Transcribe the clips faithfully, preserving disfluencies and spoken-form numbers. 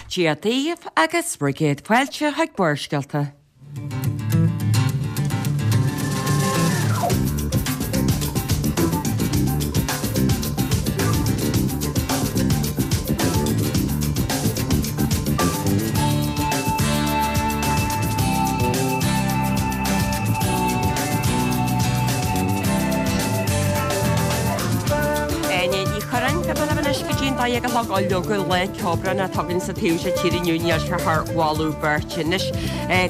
Dia daoibh agus bhur gcéad fáilte chuig Barrscéalta. Áine Ní Churráin, Beidh mé libh anois go dtí an dó dhéag a chlog. Ó leoga lá ceobhrán atá againn sa taobh seo tíre inniu, níl sé thar mholadh beirte. Anois,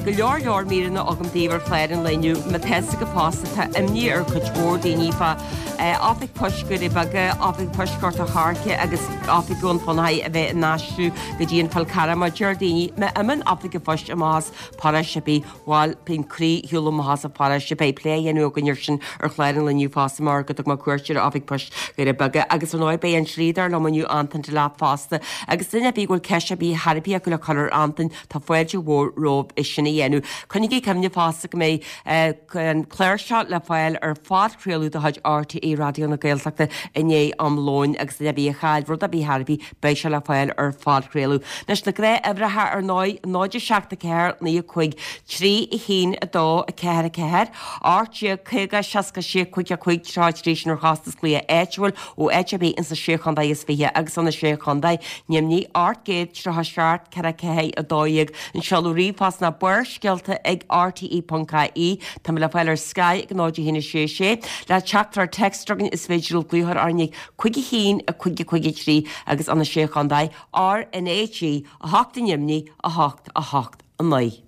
go leor leor míreanna agam daoibh ar chlár an lae inniu. Má tá fhios agaibh fosta, tá imní ar chuid mhór daoine fá Oifig Poist Dhoirí Beaga, Oifig Poist Ghort a' Choirce agus Oifig Dhún Fionnachaidh a bheith in aistriú go dtí an Fál Carrach. Mar deir daoine, má imíonn Oifig an Phoist amach as paróiste ar bith, bhuel, bíonn croí ar shiúl amach as an pharóiste. Beidh plé á dhéanamh againn air sin ar chlár an lae inniu fosta mar go dtug mé cuairt ar Oifig Poist Dhoirí Beaga. Agus ar ndóigh beidh an dlíodóir liom inniu, Antain Delap fosta. Agus duine ar bith go bhfuil ceist ar bith thar ar bith acu le cur ar Antain, tá fáilte mhór romhaibh é sin a dhéanamh. Coinnigí cuimhne fosta go mbeidh an clár seo le fáil ar phodchraoladh de chuid RTÉ Raidió na Gaeltachta i ndiaidh am lóin agus duine ar bith a chaill rud ar bith thar ar bith, beidh sé le fáil ar phodchraoladh. Anois na gnáthuimhreacha ar ndóigh, náid a seacht a ceathair naoi a cúig trí a haon a dó a ceathair a ceathair, ocht déag caoga seasca sé cúig a cúig tríocha a trí sin ar chostas glaoch áitiúil ó áit ar bith ins na Sé Chontae is Fiche agus ó na Sé Chontae, Nimhní, ocht gcéad tríocha seacht ceithre ceathair a dó dhéag. An seoladh ríomhphost ná barrscéalta ag rte ponc ie. Tá mé le fáil ar Sky ag náid a haon a sé sé. Le teachtaireacht téacs chugainn is féidir libh glaoch orainn ag cúig a haon a cúig a cúig a trí agus ó na Sé Chontae, R N A G a hocht i nDoimní a hocht a hocht a naoi.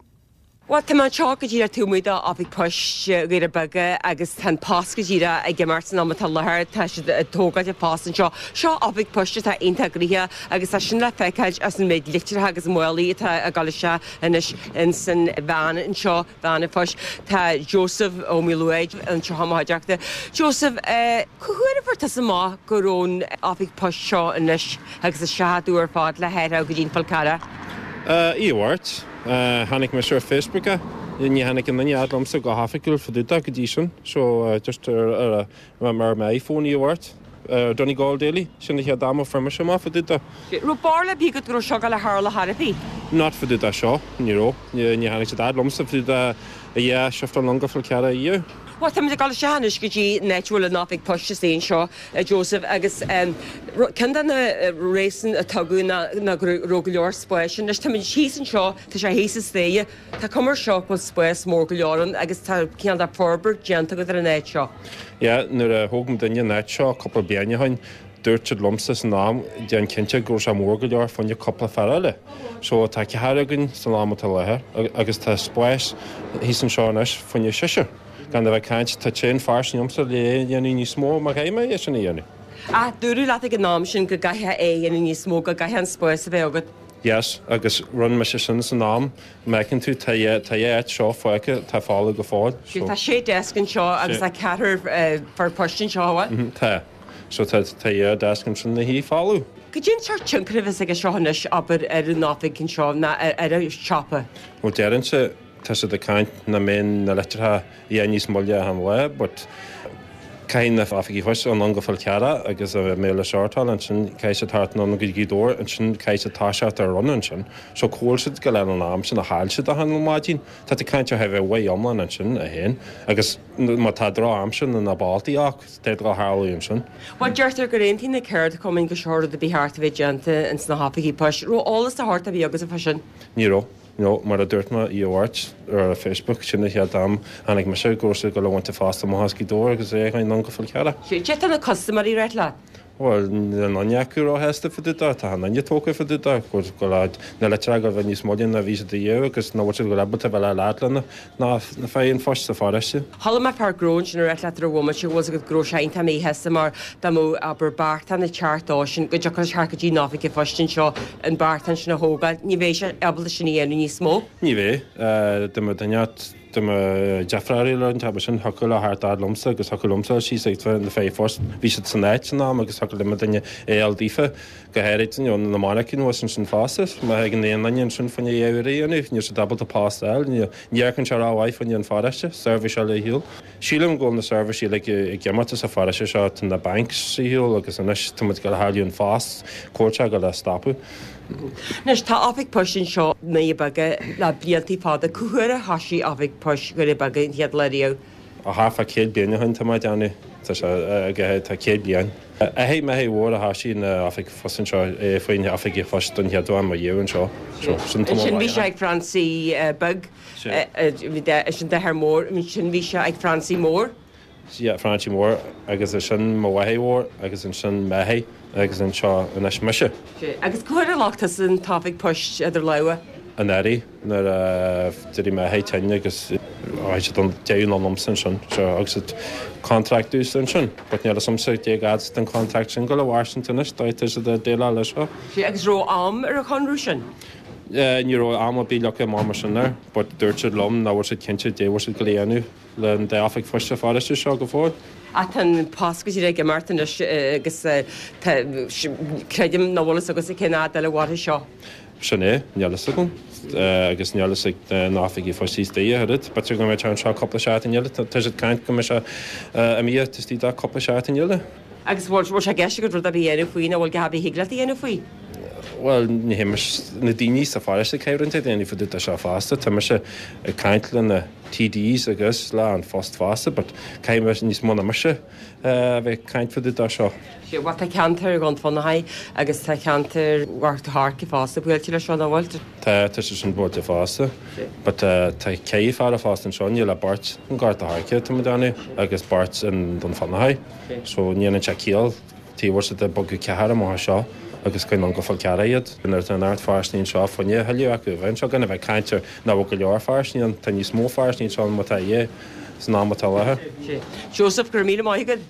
Bhuel, tá mé anseo go díreach taobh amuigh d'Oifig Poist Dhoirí Beaga agus tá an post go díreach ag imeacht san am atá i láthair. Tá siad ag tógáil an phost anseo. Seo Oifig Poist atá iontach gnoitheach agus tá sin le feiceáil as an méid litreacha agus málaí atá ag dul isteach anois ins an veain anseo, veain an phoist. Tá Joseph Ó Maoluaid anseo i mo chuideachta. Joseph, cá huair a fuair tusa amach go raibh an Oifig Poist seo anois agus a seachadadh ar fad le hathrú go dtí an Fál Carrach? Oíche Mháirt, tháinig mise ar Facebook é. Ní tháinig aon duine fhad liomsa go hoifigiúil fá dtaobh de go dtí sin. So just ar ar ar m'iPhone oíche Mháirt, ar Donegal Daily, sin an chéad am a fuair mise amach fá dtaobh de. Raibh barúil ar bith agat go raibh seo ag dul a tharlú chor ar bith? Not fá dtaobh de seo, ní raibh. Ní tháinig siad fhad liomsa fá dtaobh de a dhá shifteáil anonn go Fál Carrach inniu. Bhuel, táimid ag dul isteach anois go dtí an áit a bhfuil an oifig poist istigh anseo, a Joseph, agus ceann de na réasúin a tugadh ná go raibh go leor spáis ann. Anois táimid thíos anseo, tá sé thíos sa staighre, tá cuma air seo go bhfuil spás mór go leor ann agus tá cineál de forbairt déanta agat ar an áit seo. Yeah, nuair a thóg muidinne an áit seo cúpla bliain ó shin, dúirt siad liomsa san am, déan cinnte go raibh sé mór go leor fá choinne cúpla fear eile. So tá ceathrar againn san am atá i láthair agus tá spás thíos anseo anois fá choinne seisear. Gan a bheith ag caint, tá tréan fairsing liomsa le é a dhéanamh níos mó má chaithfidh mé é sin a dhéanamh. Ach dúradh leat ag an am sin go gcaithfeá é a dhéanamh níos mó, go gcaithfeá an spás a bheith agat. Yes, agus rinne mise sin san am. Má fheiceann tú, tá dhá tá dhá áit seo fágtha, tá folamh go fóill. So. Tá sé deasc anseo agus tá ceathrar fear poist anseo, an bhfuil? Mhm, tá. So tá tá dhá deasc ansin ina shuí folamh. Cad é an sórt tionchar a bheas aige seo anois, abair, ar an oifig anseo ná ar an siopa? Bhuel, déarfainnse, Tá siad ag caint nach mbeidh na litreacha a dhath níos moille achan lá but caithfidh na oifigigh poist anonn go Fál Carrach agus a mbeidh le sórtáil ansin caithfidh siad theacht anonn go Gaoth Dobhair ansin caithfidh siad toiseacht ar run ansin so cá bhfuil siad ag goil an am sin a chaill siad achan maidin tá tú ag caint ar thar uair iomlán ansin a haon agus má tá droch-aimsir nó na boltaí ach tá go tharlú ansin. Bhuel deirtear gur aontaigh na ceardchumainn go seo rud a ba cheart a bheith déanta ins na hoifigí poist. Raibh eolas de shórt ar bith agatsa fá sin? Ní raibh. No, mar a dúirt mé oíche Mháirt ar Facebook, sin an chéad am a tháinig mise go raibh siad ag dul a bhaint an phost amach as Gaoth Dobhair agus é a chur anonn go Fál Carrach. Cad é tá na custaiméirí ag ráit leat? Bhuel, níl aon duine acu róshásta fá dtaobh de, tá achan duine tógtha fá dtaobh de, go bhfuil na litreacha ag dul a bheith níos moille ná bhí siad riamh agus nach bhfuil siad ag dul ábalta a bheith le leat lena na feadh an phoist sa pharóiste. Chuala mé fear gnó ansin ag ráit leat ar an bhomaite go bhfuil 's agat go raibh sé iontach míshásta mar dá mbeadh abair beartán ag teacht dó sin go dtiocfadh leis theacht go dtí an oifig an phoist anseo an beartán sin a thógáil. Ní bheidh sé ábalta sin a dhéanamh níos mó. Ní bheidh. Dá mbeadh duine agat, dá mbeadh deirfiúr eile an t-am sin, thiocfadh leo theacht fhad liomsa agus thiocfadh liomsa síos ag na feadh an phoist. Bhí siad san áit san am agus thiocfadh le mo duine é a fháil daofa. Go háirid, you know, na mainicín thuas ansin fosta, má thagann aon duine ansin fá choinne a dhath a dhéanamh, níl siad ábalta post a fháil, ní amharcann sé rómhaith fá choinne an pharóiste, seirbhís eile ar shiúl. Sílim go bhfuil na seirbhísí uilig ag imeacht as an pharóiste seo, tá na banks ar shiúl agus anois tá muid ag dul a chailleadh an phost, cá bhfuil sé ag dul a stopadh. Anois tá oifig poist anseo i nDoirí Beaga le blianta fada. Cá huair a thosaigh oifig poist Dhoirí Beaga an chéad lá riamh? Ó thart fá céad bliain ó shin tá mé ag déanamh. Tá sé tá céad bliain. Athair m'athair mhór a thosaigh an oifig phoist anseo faoin oifig phoist don chéad uair i mo dhiaidh anseo. Sin Ansin bhí sé ag Francie Beag, sin d'athair mór, ansin bhí sé ag Francie Mór. Yeah, Francie Mór agus ansin mo mháthair mhór agus ansin m'athair agus anseo anois mise. Agus cá huair a ghlac tusa an t-oifig poist idir lámha? Anuraidh nuair a d'éirigh m'athair tinn agus tháinig siad an deireadh ná liomsa ansin so agus siad contract domhsa ansin but níl fhios a'msa cé fhad den contract sin go le mhairsint anois dá tá siad ag déileáil leis seo. Agus raibh am ar an chonradh sin? Ní raibh am ar bith leagtha amach mar sin air but dúirt siad liom nach bhfuil siad cinnte dé bhfuil siad go dhéanamh le an dá oifig phoist sa pharóiste seo go fóill. Ach tá an post go díreach ag imeacht anois agus creidim nach bhfuil fhios agatsa cén fhad eile a mhairfidh seo. Sin é, níl fhios agam agus níl fhios ag na oifigigh phoist istigh a oiread. B'fhéidir go mbeidh sé anseo cúpla seachtain eile, tá siad ag caint go mbeidh sé imithe istigh de cúpla seachtain eile. Agus bhfuil sé i gceist agat rud ar bith a dhéanamh faoi nó bhfuil a dhath ar bith a thig leat a dhéanamh faoi? Bhuel, ní hé mise, na daoine sa pharóiste ag caint ag déanamh fá dtaobh de seo fosta. Tá mise ag caint le na TDs agus le An Post fosta, but caithfidh mise níos mó ná mise a bheith ag caint fá dtaobh de seo. Bhuel, tá ceantar Dhún Fionnachaidh agus tá ceantar Ghort a' Choirce fosta buailte leis seo, nach bhfuil? Tá, tá sé sin buailte fosta. But tá ceithre fear a fosta anseo, níl ach beirt in Gort a' Choirce tá mé ag déanamh agus beirt in Dún Fionnachaidh. So ní dhéanann sé ciall taobh bhfuil siad ag bogadh ceathrar amach anseo agus coinneáil go Fál Carrach iad. Nuair atá an oiread pharóistí anseo fá choinne a thuilleadh acu a bheith anseo gan a bheith ag caint ar nach bhfuil go leor pharóistí ann, tá níos mó pharóistí anseo ná atá é san am atá i láthair. Joseph, go raibh míle maith agat.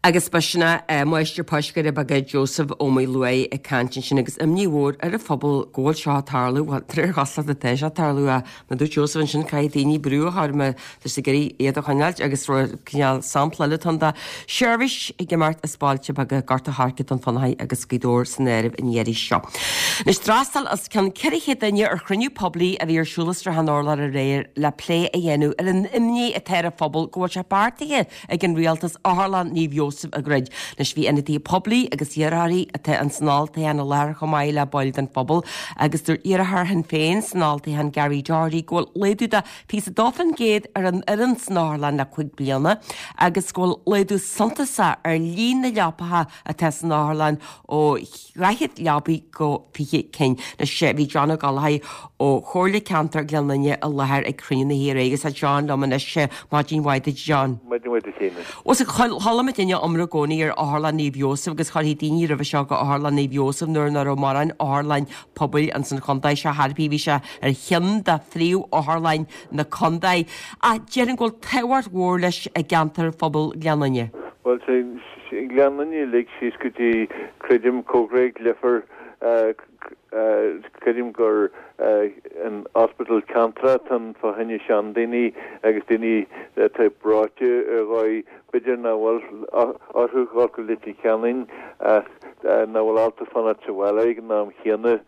Agus b'shin é Máistir Poist Dhoirí Beaga Joseph Ó Maoileoidh ag caint ansin agus imní mhór ar an phobal go bhfuil seo ag tarlú, bhuel, de réir chosúlachta tá sé ag tarlú ach mar a dúirt Joseph ansin caithfidh daoine brú a chur má tá siad ag iarraidh iad a choinneáilt agus cineál sampla eile atá ann de sheirbhís ag imeacht as bailte beaga Gort a' Choirce, Dún Fionnachaidh agus Gaoth Dobhair san áireamh an iarraidh seo. Anois d'fhreastail os cionn ceithre chéad duine ar chruinniú poiblí a bhí ar siúl i Srath an Urláir aréir le plé a dhéanamh ar an imní atá ar an phobal go bhfuil sé beartaithe ag an rialtas Otharlann Naomh Iósaf a dhruid. Anois bhí ionadaithe poiblí agus iarrthóirí atá an san olltoghchán i láthair chomh maith le baill den phobal agus dúirt iarrthóir Shinn Féin san olltoghchán Gary Doherty go bhfuil laghdú de fiche a dó faoin gcéad ar an fhoireann san otharlann le cúig bliana agus go bhfuil laghdú suntasach ar líon na leapacha atá san otharlann ó dhaichead leabaidh go fiche cinn. Anois bhí John Ó Gallchóir ó Chomhairle Ceantair Ghleann Fhinne i láthair ag cruinniú na haoire agus tá John liom anois maidin mhaith duit John. Maidin mhaith duit Síne. Chuala muid iomrá i gcónaí ar Otharlann Naomh Iósaf agus chuirfí daoine roimhe seo go Otharlann Naomh Iósaf nuair nach raibh mórán otharlann pobail ins an chontae seo thar bhí sé ar cheann de phríomh-otharlann na contae. Ach déarfainn go bhfuil tábhacht mhór leis i gceantar phobal Ghleann Fhinne. Bhuel Gleann Fhinne uilig síos go dtí creidim Comhghréig Leifear creidim gur an hospital ceantar atá fá choinne seandaoine agus daoine atá breoite ar dhóigh b'fhéidir nach bhfuil orthu dhul go Leitir Ceanainn ach nach bhfuil ábalta fanacht sa bhaile ag an am chéanna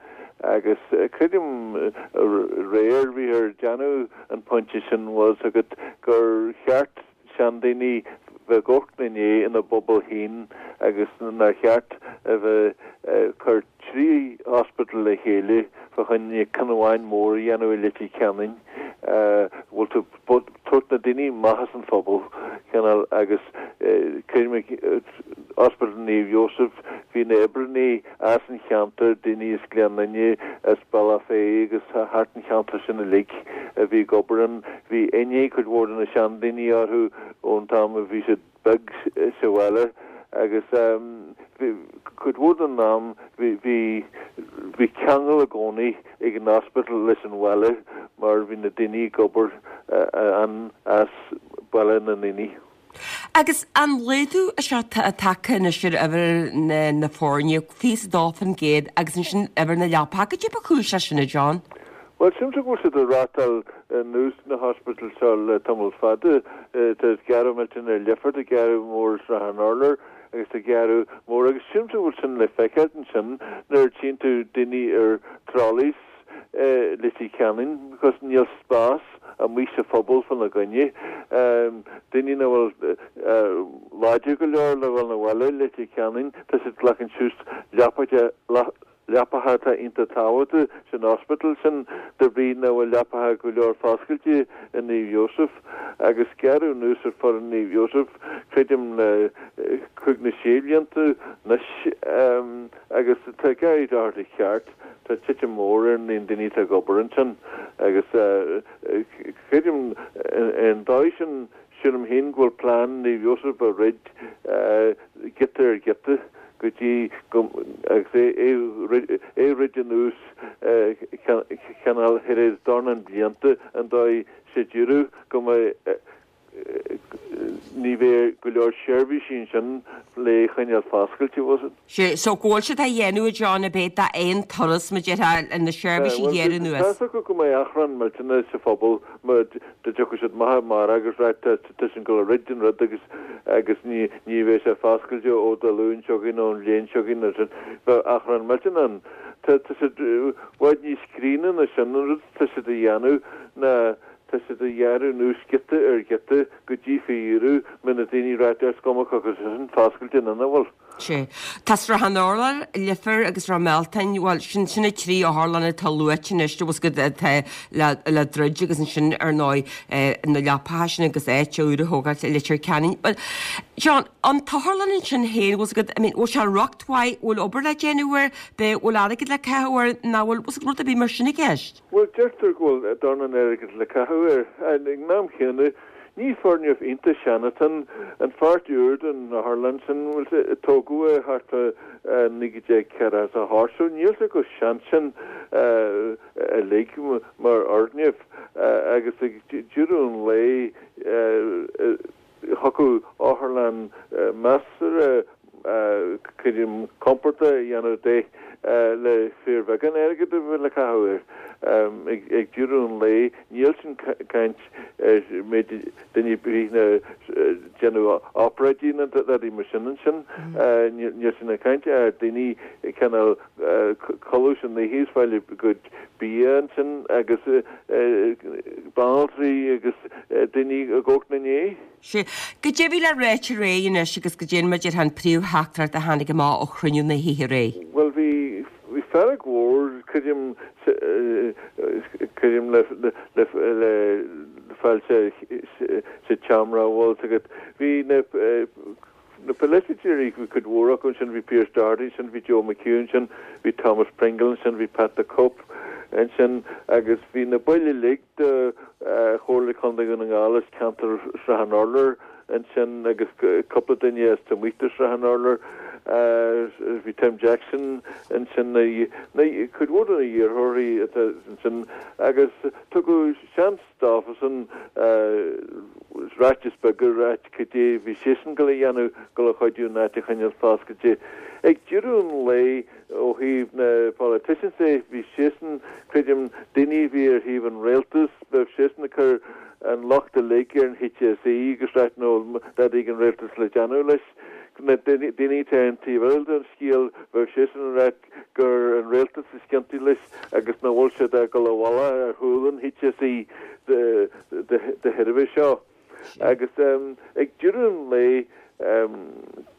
agus creidim aréir bhí ar déanamh an pointe sin was agat gur cheart seandaoine bheith ag amharc ina ndiaidh ina bpobal féin agus nár cheart a bheith cur trí hospital le chéile fá choinne ceann amháin mór a dhéanamh i Leitir Ceanainn bhfuil tú tabhairt na daoine amach as an phobal cineál agus creidim Hospital Naomh Iósaf bhí na oibreanna as an cheantar daoine as Gleann Fhinne as Bealach Féich agus thart an cheantar sin uilig a bhí ag obair ann bhí aithne cuid mhór de na seandaoine orthu ón t-am a bhí siad beag sa bhaile agus cuid mhór den am bhí bhí ceangal i gcónaí ag an hospital leis an bhaile mar bhí na daoine ag obair an as baile na ndaoine. Agus an laghdú seo tagtha anois ar uimhir na, na foirne fiche a dó faoin gcéad agus ansin uimhir na leapacha, cad é ba chúis leis sin, a John? Well sílimse go bhfuil siad ag reáchtáil anuas na hospital seo le tamall fada tá gearradh millteanach ar Leifear tá gearradh mór Srath an Urláir agus tá gearradh mór agus sílimse go bhfuil sin le feiceáil ansin nuair a tchíonn tú daoine ar trolleys Leitir Ceanainn because níl spás amuigh sa phobal fána gcoinne daoine nach bhfuil láidir go leor le bhfuil na bhaile Leitir Ceanainn tá siad glacann suas leapacha Leapacha atá iontach tábhachtach san ospidéal sin de bhrí nach bhfuil leapacha go leor foscailte i Naomh Iósaf agus gearradh anuas ar foireann Naomh Iósaf creidim le cúig nó sé blianta anois agus tá Gary Doherty ceart, tá titim mór ar an líon daoine atá ag obair ansin agus creidim ar an dóigh sin sílim féin go bhfuil plean Naomh Iósaf a throid giota ar ghiota. go dtí go agus é é a throid anuas cineál thar éis dornán blianta an dóigh sa deireadh go mbeidh ní bheidh go leor seirbhísí ansin le choinneáil foscailte bhfuil fhios agat. Sea, so go bhfuil siad á dhéanamh a John ab é d'aon turas mar a déarfá na seirbhísí a ghearradh anuas. Tá fhios acu go mbeidh achrann millteanach sa phobal má dá dtiocfadh siad amach amárach agus ráit tá sin ag dul a throid an rud agus agus ní ní bheidh sé foscailte ó Dé Luain seo chugainn nó an bhliain seo chugainn nó sin. Bheadh achrann millteanach ann. Tá tá siad i bhfad níos críonna ná sin an rud tá siad a dhéanamh ná tá siad a ghearradh anuas giota ar ghiota go dtí faoi dheireadh mbeidh na daoine ag ráit is cuma cé acu sin foscailte nó nach bhfuil. Sea. Tá Srath an Urláir, Leifear agus Ráth Mealtain, bhuel, sin, sin na trí otharlann atá luaite anois, tá fhios agat, atá le, le druid agus ansin, ar ndóigh, na leapacha sin agus áit úr a thógáilt i Leitir Ceanainn. Bhuel, John, an t-otharlann ansin féin, bhfuil fhios agat, I mean, bhfuil sé i riocht mhaith, bhfuil obair le déanamh air, b'é, bhfuil airgead le caitheamh air, ná bhfuil, bhfuil fhios agat, rud ar bith mar sin i gceist? Bhuel, deirtear go bhfuil dornán airgid le caitheamh air. Ag an am chéanna, Ní foirgneamh iontach sean atá ann, an pháirt úr den otharlann sin, bhfuil fhios agat, tógadh é thart fá naoi déag ceathracha is a hocht so níl sé chomh sean sin uilig mar fhoirgneamh agus ag deireadh an lae thiocfadh otharlann measartha creidim compordach a dhéanamh de le fíorbheagán airgid a bheith le caitheamh air. Ag deireadh an lae, níl sin caint ar méid duine ar bith ag déanamh obráidí ná rudaí mar sin ansin. Níl sin ag caint ar daoine cineál codladh san oíche is fáil a gcuid bia ansin agus banaltraí agus daoine ag amharc ina ndiaidh. Sea. Goidé a bhí le ráit aréir anois agus goidé mar a déarfá an príomhtheachtaireacht a tháinig amach ó chruinniú na hoíche aréir. Bhuel, bhí, bhí fearg mhór, creidim, creidim le, le, le fáil sa, sa tseomra, bhfuil fhios agat. Bhí na, na polaiteoirí, bhí cuid mhór acu ansin, bhí Pearse Doherty ansin, bhí Joe McHugh ansin, bhí Thomas Pringle ansin, bhí Pat the Cope ansin agus bhí na baill uilig de, Chomhairle Contae Dhún na nGall as ceantar Shrath an Urláir ansin agus cúpla duine as taobh amuigh de Shrath an Urláir. Bhí Tim Jackson ansin, cuid mhór de na hiarrthóirí atá ansin agus tugadh seans dófasan ráiteas beag a ráit cad é bhí siadsan ag dul a dhéanamh dul a chuidiú an áit a choinneáil foscailte. Ag deireadh an lae, Ó thaobh na politicians de, bhí siadsan, creidim, daoine a bhí ar thaobh an rialtais, bheadh siadsan ag cur an locht uilig ar an HSE agus ráit nach bhfuil dadaí ag an rialtas le déanamh leis. Na daoine atá ar an taobh eile den scéal, bheadh siadsan ag ráit gur an rialtas is ciontaí leis agus nach bhfuil siad ag dul i bhfolach ar chúl an HSE de thairbhe seo. Agus ag deireadh an lae,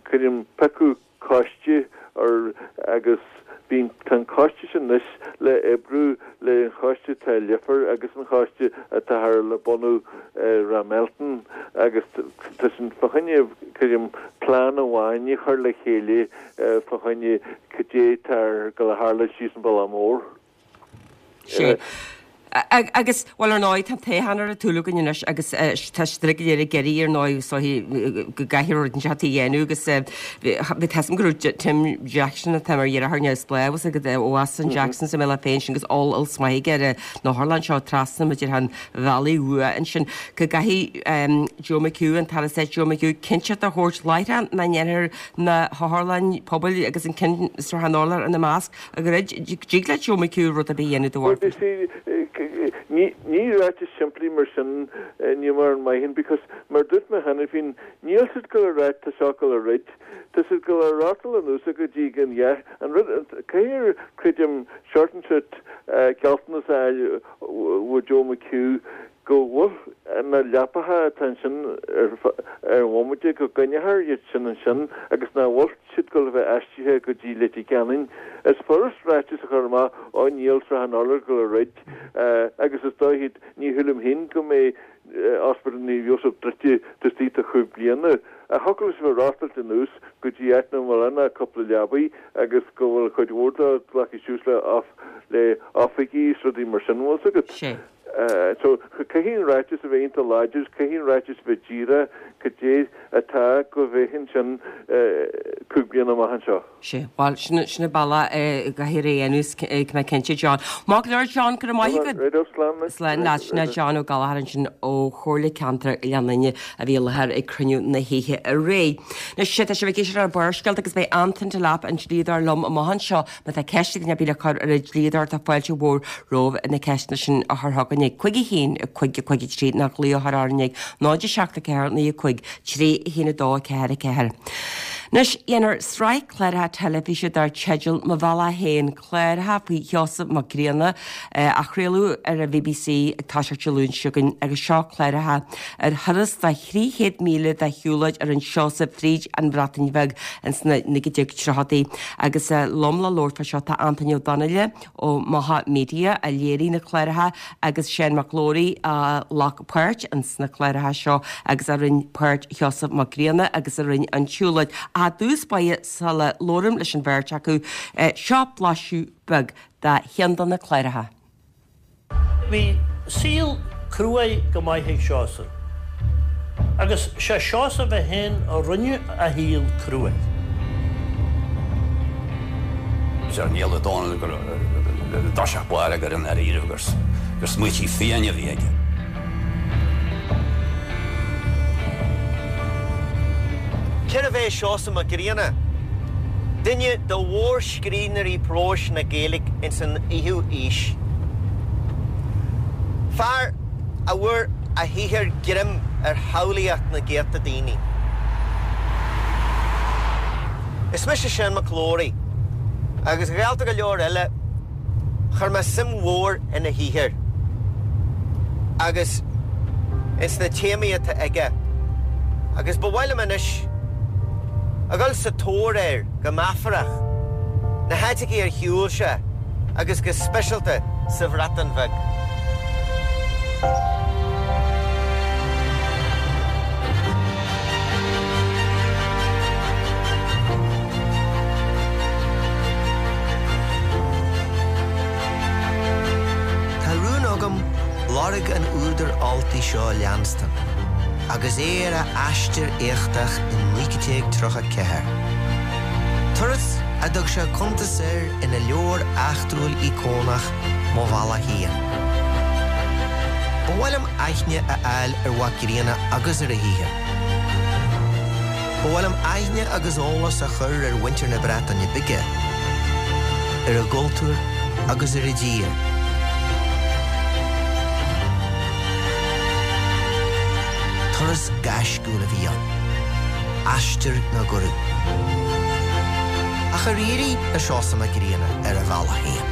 creidim, piocadh coiste ar agus bíonn tá an coiste sin anois le oibriú le an choiste atá i Leifear agus an choiste atáthar le bunú i Ráth Mealtain agus tá sin fá choinne creidim plean amháin a chur le chéile fá choinne cad é atá ag dul a tharlú síos an bealach mór. Sea. Agus, bhuel, ar ndóigh, tá an toghchán ar an tsúil againn anois agus tá siad uilig go léir ag iarraidh, ar ndóigh, is dóichí go gcaithfear rud inteacht a dhéanamh agus bhí fhios agam go raibh Tim Jackson atá mar dheartháir neamhspleách agus agat ó as an Jacksons a mbeadh féin sin agus eolas maith aige ar an otharlann seo trasna mar a déarfá an bhealaigh uaidh ansin go gcaithfidh Joe McHugh, an tAire Stáit Joe McHugh, cinnteacht a thabhairt láithreach nach ndéanfar na hotharlanna pobail agus an ceann i Srath an Urláir ina measc a dhruid. Dtig le Joe McHugh rud ar bith a dhéanamh de bharr. Well, you see, ní ní ráiteas simplí mar sin ní mar an maith because mar dúirt mé cheana féin, níl siad ag dul a ráit tá seo ag dul a throid, tá siad ag dul a reáchtáil anuas go dtí go ndea an rud caithfear creidim short and sweet gealltanas a fháil ó Joe McHugh go bhfuil na leapacha atá ansin ar ar an bhomaite go gcoinneofar iad sin ansin agus nach bhfuil siad ag dul a bheith aistrithe go dtí Leitir Ceanainn. Is furast ráiteas a chur amach ó níl Srath an Urláir ag dul a dhruid agus is dóichí ní shílim féin go mbeidh Ospidéal Naomh Iósaf druidte taobh istigh de chúig bliana. Ach thiocfadh leis a bheith reáchtáilte anuas go dtí áit nach bhfuil ann ach cúpla leabaidh agus go bhfuil cuid mhór de glactha suas le le oifigí is rudaí mar sin, bhfuil 's agat. Sé. So caithfidh an ráiteas a bheith iontach láidir, caithfidh an ráiteas a bheith díreach cad é atá go bheith ansin cúig bliana amach anseo. Sé, bhuel, sin sin an bealach a gcaithfear é a dhéanamh, tá mé cinnte, John. Maith go leor, John, go raibh maith agat. Right, slán. Slán leat, sin é John Ó Gallchóir ansin ó Chomhairle Ceantair Oileán Fhine a bhí i láthair ag cruinniú na hoíche aréir. Anois, tá sibh ag éisteacht le Barrscéalta agus beidh Antain Delap an dlíodóir liom amach anseo. Má tá ceist ag duine ar bith le cur ar an dlíodóir tá fáilte mhór romhaibh na ceisteanna sin a chur chugainn ag cúig a haon, cúig a cúig a trí nó glaoch a chur orainn ag náid a seacht a ceathair naoi a cúig trí a haon a dó a ceathair a ceathair. Anois, déanfar sraith cláracha teilifíse dar teideal Mo Bhealach Féin, cláracha faoi Sheosamh Mac Grianna, a chraoladh ar an BBC ag toiseacht Dé Luain seo chugainn agus seo cláracha ar thuras de thrí chéad míle de shiúlóid a rinne Seosamh fríd an Bhreatain Bheag ins na naoi déag tríochaidí. Agus liom le labhairt fá seo tá Antaine Ó Donnaile ó Macha Media a léirigh na cláracha agus Seán Mac Labhraí a ghlac páirt ins na cláracha seo agus a rinne páirt Sheosamh Mac Grianna agus a rinne an tsiúlóid. Ach i dtús báire sula labhraím leis an bheirt acu, seo blaiseadh beag de cheann de na cláracha. Bhí saol cruaidh go maith ag Seosamh. Agus sé Seosamh é féin a rinne a shaol cruaidh. Deir Niall Ó Dónaill gur i dtosach báire gur i ndáiríribh gur gur smaoití fiáine a bhí aige. Cérbh é Seosamh Mac Grianna? Duine de mhórscríbhneoirí próis na Gaeilge ins an fhichiú aois. Fear a bhfuair a shaothar greim ar shamhlaíocht na gcéadta daoine. Is mise Seán Mac Labhraí, agus gaolta go leor eile, chuir mé suim mhór ina shaothar agus ins na téamaí atá aige, agus ba mhaith liom anois a dhul sa tóir air go meafarach, na háiteachaí ar shiúil sé agus go speisialta sa Bhreatain Bheag. Tá rún agam lorg an údair Ultaigh seo a leanstan agus é ar a aistear éachtach in naoi déag tríocha ceathair. Turas a dtug sé cuntas air ina leabhar eachtrúil íocónach Mo Bhealach Féin. Ba mhaith liom aithne a fháil ar Mhac Grianna agus ar a shaothar. Ba mhaith liom aithne agus eolas a chur ar mhuintir na Breataine Bige, ar a gcultúr agus ar a dtír. Turas gaisciúil a bhí ann, aistear na gcuradh. Ach ar éirigh le Seosamh Mac Grianna ar a bhealach féin?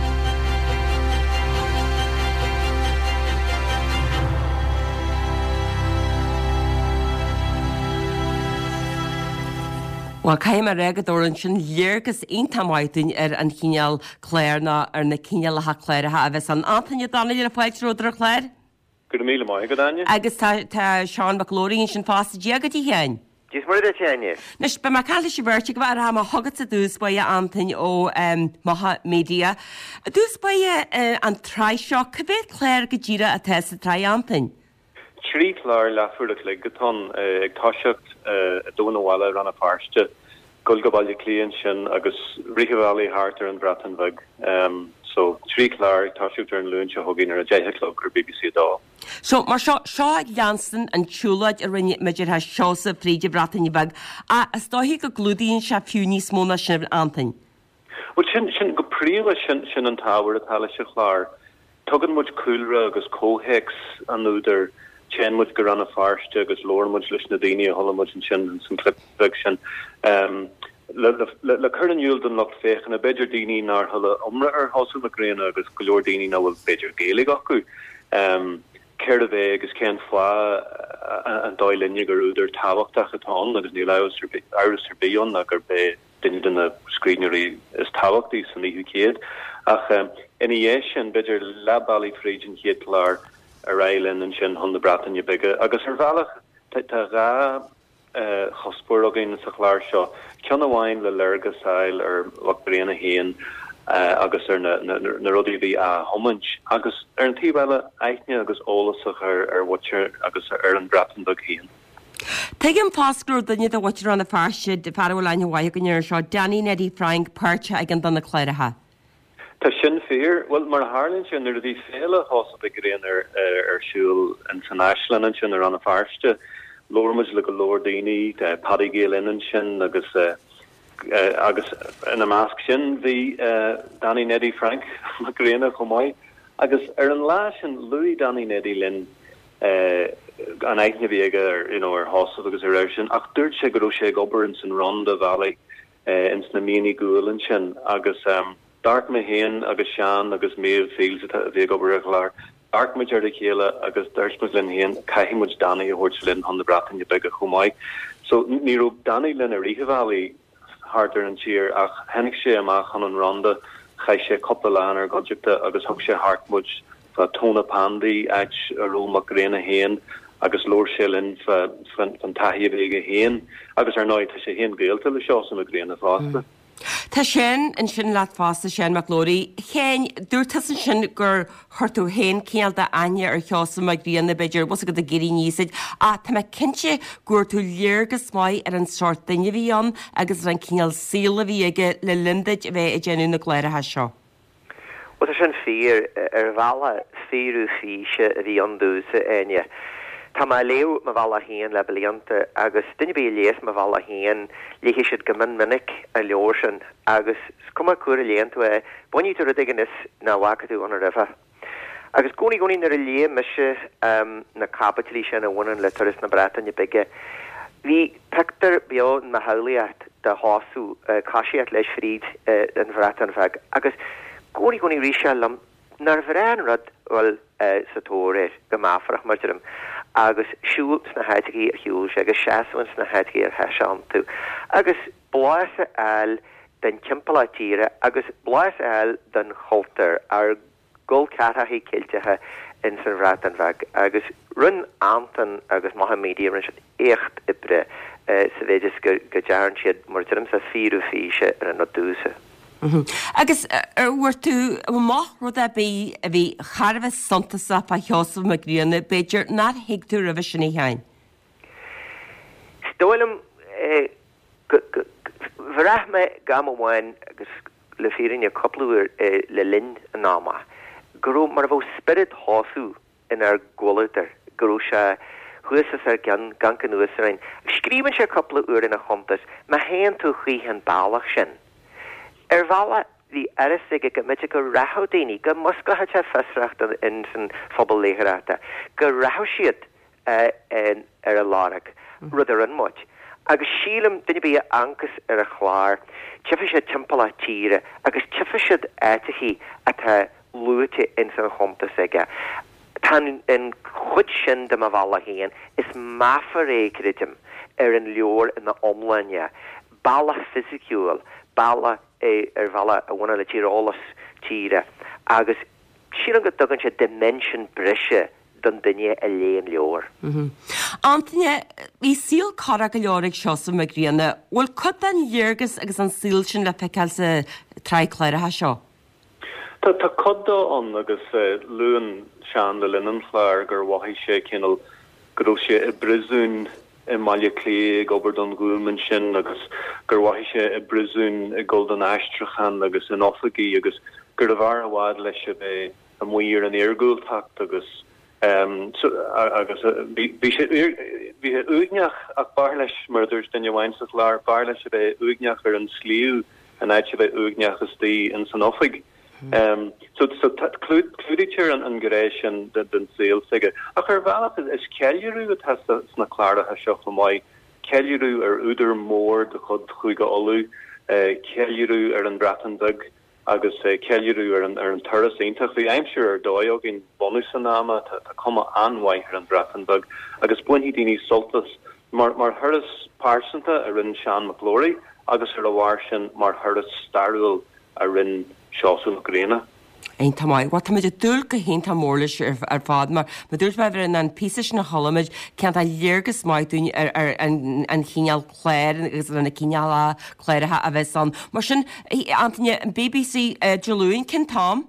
Bhuel, caithfidh mé a rá go dtabharann sin léargas iontach maith dúinn ar an chineál clár nó ar na cineálacha cláracha a bheas ann. Antaine Ó Donnaile, fáilte romhat ar an chlár. Go raibh míle maith agat, Áine. Agus tá tá Seán Mac Labhraí ansin fosta. Dia duit a Sheáin. Dia is Muire duit, a Áine. Anois, beidh mé ag caint leis an bheirt agaibh ach rachaidh mé chugatsa i dtús báire, a Antain ó Macha Media. I dtús báire, an tsraith seo, cá mhéad clár go díreach atá sa tsraith, a Antain? Trí chlár leathuair a chloig atá ann, ag toiseacht i dTóin an Bhaile, Rann na Feirste, dul go Baile Átha Cliath ansin agus rith an bhealaigh thart ar an Bhreatain Bheag. So, trí chlár ag toiseacht ar an Luan seo chugainn ar a deich a chlog ar BBC a dó. So, mar seo, seo ag leanstan an tsiúlóid a rinne muid ar Seosamh fríd an Bhreatain Bheag, ach is dóiche go gclúdaíonn sé fiú níos mó ná sin, Antain. Bhuel, sin, sin, go príomha, sin, sin an t-ábhar atá leis an chlár. Tugann muid cúlra agus comhthéacs an údair, téann muid go Rann na Feirste agus labhrann muid leis na daoine a chuala muid ansin ins an clip bheag sin. Le cur in iúl don lucht féachana, b'fhéidir daoine nár chuala iomrá ar Sheosamh Mac Grianna agus go leor daoine nach bhfuil b'fhéidir Gaeilge acu, cérbh é agus cén fáth an dóigh linne gur údar tábhachtach atá ann agus níl amhras ar bith amhras ar bith ann ná gurb é duine de na scríbhneoirí is tábhachtaí san fhichiú céad. Ach ina dhiaidh sin, b'fhéidir leath bealaigh fríd an chéad chlár, ar aghaidh linn ansin chun na Breataine Bige agus ar bhealach tá dhá chuspóir againn sa chlár seo, ceann amháin le léargas a fháil ar Mhac Grianna féin agus ar na rudaí a bhí á thiomáint agus ar an taobh eile aithne agus eolas a chur ar mhuintir agus ar an Bhreatain Bheag féin. Tuigim fosta go raibh duine de mhuintir Rann na Feirste, fear a bhfuil aithne mhaith againn air anseo, Danny Neddie Frank, páirteach i gceann de na cláracha. Tá sin fíor. Bhuel, mar a tharlaíonn sé, nuair a bhí Féile Sheosaimh Mhic Grianna ar siúl ins an Áislann ansin i Rann na Feirste, labhair muid le go leor daoine, Paddy Gael Linn ansin agus agus ina measc sin bhí Danny Neddie Frank Mac Grianna chomh maith. Agus ar an lá sin, luaigh Danny Neddie linn an aithne a bhí aige ar, you know, ar Sheosamh agus ar air sin, ach dúirt sé go raibh sé ag obair ins an Rhondda Valley ins na mianaigh guail ansin agus d'amharc mé féin agus Seán agus Maeve Fields a bhí ag obair ar an chlár, d'amharc muid ar a chéile agus dúirt muid linn féin, caithfidh muid Danny a thabhairt linn chun na Breataine Bige chomh maith. So ní raibh Danny linn i rith an bhealaigh thart ar an tír ach tháinig sé amach chun an Rhondda, chaith sé cúpla lá inár gcuideachta agus thug sé thart muid fá Tonypandy, áit a raibh Mac Grianna féin agus labhair sé linn fán taithí a bhí aige féin agus ar ndóigh tá sé féin gaolta le Seosamh Mac Grianna fosta. Tá Seán ansin leat fosta, Seán Mac Labhraí. A Sheáin, dúirt tusa ansin gur chuir tú féin cineál d'aithne ar Sheosamh Mac Grianna, b'fhéidir, bhfuil a fhios agat ag éirí aníos duit, ach tá mé cinnte go bhfuair tú léargas maith ar an sórt duine a bhí ann agus ar an cineál saoil a bhí aige le linn duit a bheith ag déanamh na gcláracha seo. Bhuel, tá sin fíor. Ar bhealach, fíorú físe a bhí ann domhsa, Áine. Tá mé ag léamh Mo Bhealach Féin le blianta agus duine ar bith a léas Mo Bhealach Féin, léifidh siad go mion minic an leabhar sin agus is cuma cá huair a léann tú é, bainfidh tú rud éigin as nach bhfaca tú ann roimhe. Agus gcónaí gcónaí nuair a léigh mise na caibidlí sin a bhaineann le turas na Breataine Bige, Bhí pictiúr beo in mo shamhlaíocht de Sheosamh ag coisíocht leis fríd an Bhreatain Bheag agus gcónaí gcónaí rith sé liom nár bhreá an rud dhul sa tóir air, go meafarach mar deirim, agus siúl sna háiteachaí ar shiúil sé agus seasamh ins na háiteachaí ar sheas sé iontu agus blas a fháil den timpeallacht tíre agus blas a fháil den chultúr, ár gcol ceathrachaí Ceilteacha ins an Bhreatain Bheag agus rinne Antain agus Macha Media, rinne siad éacht oibre sa mhéid is go dtearn siad, mar a deirimse, fíorú físe ar an rud domhsa. Agus ar bhfuair tú amach rud ar bith a bhí thar a bheith suntasach fá Sheosamh Mac Grianna, b'fhéidir, nár thuig tú roimhe sin, a Sheáin? Is dóigh liom go, go, bhraith mé ag am amháin agus le fírinne cúpla uair le linn an ama, go raibh mar a bheadh spiorad Sheosaimh inár gcomhluadar, go raibh sé thuas os ár gcionn, ag amharc anuas orainn. Scríobhann sé cúpla uair ina chuntas, má théann tú choíche an bealach sin. Ar bhealach, bhí a fhios aige go mb'fhéidir go rachadh daoine, go musclódh sé fiosracht ins an phobal léitheoireachta, go rachadh siad ar a lorg, rud a rinne muid. Agus sílim, duine ar bith a amharcas ar an chlár, tchífidh siad timpeallacht tíre agus tchífidh siad áiteachaí atá luaite ins an chuntas aige. Tá an chuid sin de Mo Bhealach Féin, is meafar é, creidim, ar an leabhar ina iomláine. Bealach fisiciúil, bealach ar bhealach a bhaineann le tíreolas tíre agus sílim go dtugann sé dimension breise don duine a léigh an leabhar. Antaine, bhí saol corrach go leor ag Seosamh Mac Grianna. Bhfuil cuid den léargas agus an saol sin le feiceáil sa tsraith cláracha seo? Tá, tá cuid dó ann agus luann Seán le linn an chláir gur mhothaigh sé cineál go raibh sé i bpríosún i mBaile Átha Cliath ag obair don Ghúm ansin agus gur mhothaigh sé i bpríosún ag dul don aistriúchán agus in oifigí agus gurbh fhearr i bhfad leis a bheith amuigh ar an iargúltacht agus agus bhí sé bhí sé uaigneach ach b'fhearr leis, mar a dúirt duine amháin sa chlár, b'fhearr leis a bheith uaigneach ar an sliabh in áit a bheith uaigneach istigh ins an oifig. So so clúdaítear an ghné sin den saol s'aige. Ach ar bhealach is ceiliúradh atá sna cláracha seo chomh maith, ceiliúradh ar údar mór de chuid Chúige Uladh, ceiliúradh ar an Bhreatain Bheag, agus ceiliúradh ar an ar an turas iontach. Bhí aimsir ar dóigh againn bunús an ama, tá tá cuma an-mhaith ar an Bhreatain Bheag agus bainfidh daoine sult as mar mar thuras pearsanta a rinne Seán Mac Labhraí agus ar a bharr sin mar thuras stairiúil a rinne Seosamh Mac Grianna. Iontach maith. Bhuel, táimid ag dúil go hiontach mór leis ar fad mar mar dúirt mé bheith in ann píosa sin a chuala muid cineál léargas maith dúinn ar ar an an chineál cláir agus ar na cineálacha cláracha a bheas ann. Mar sin, Antaine, an BBC Dé Luain, cén t-am?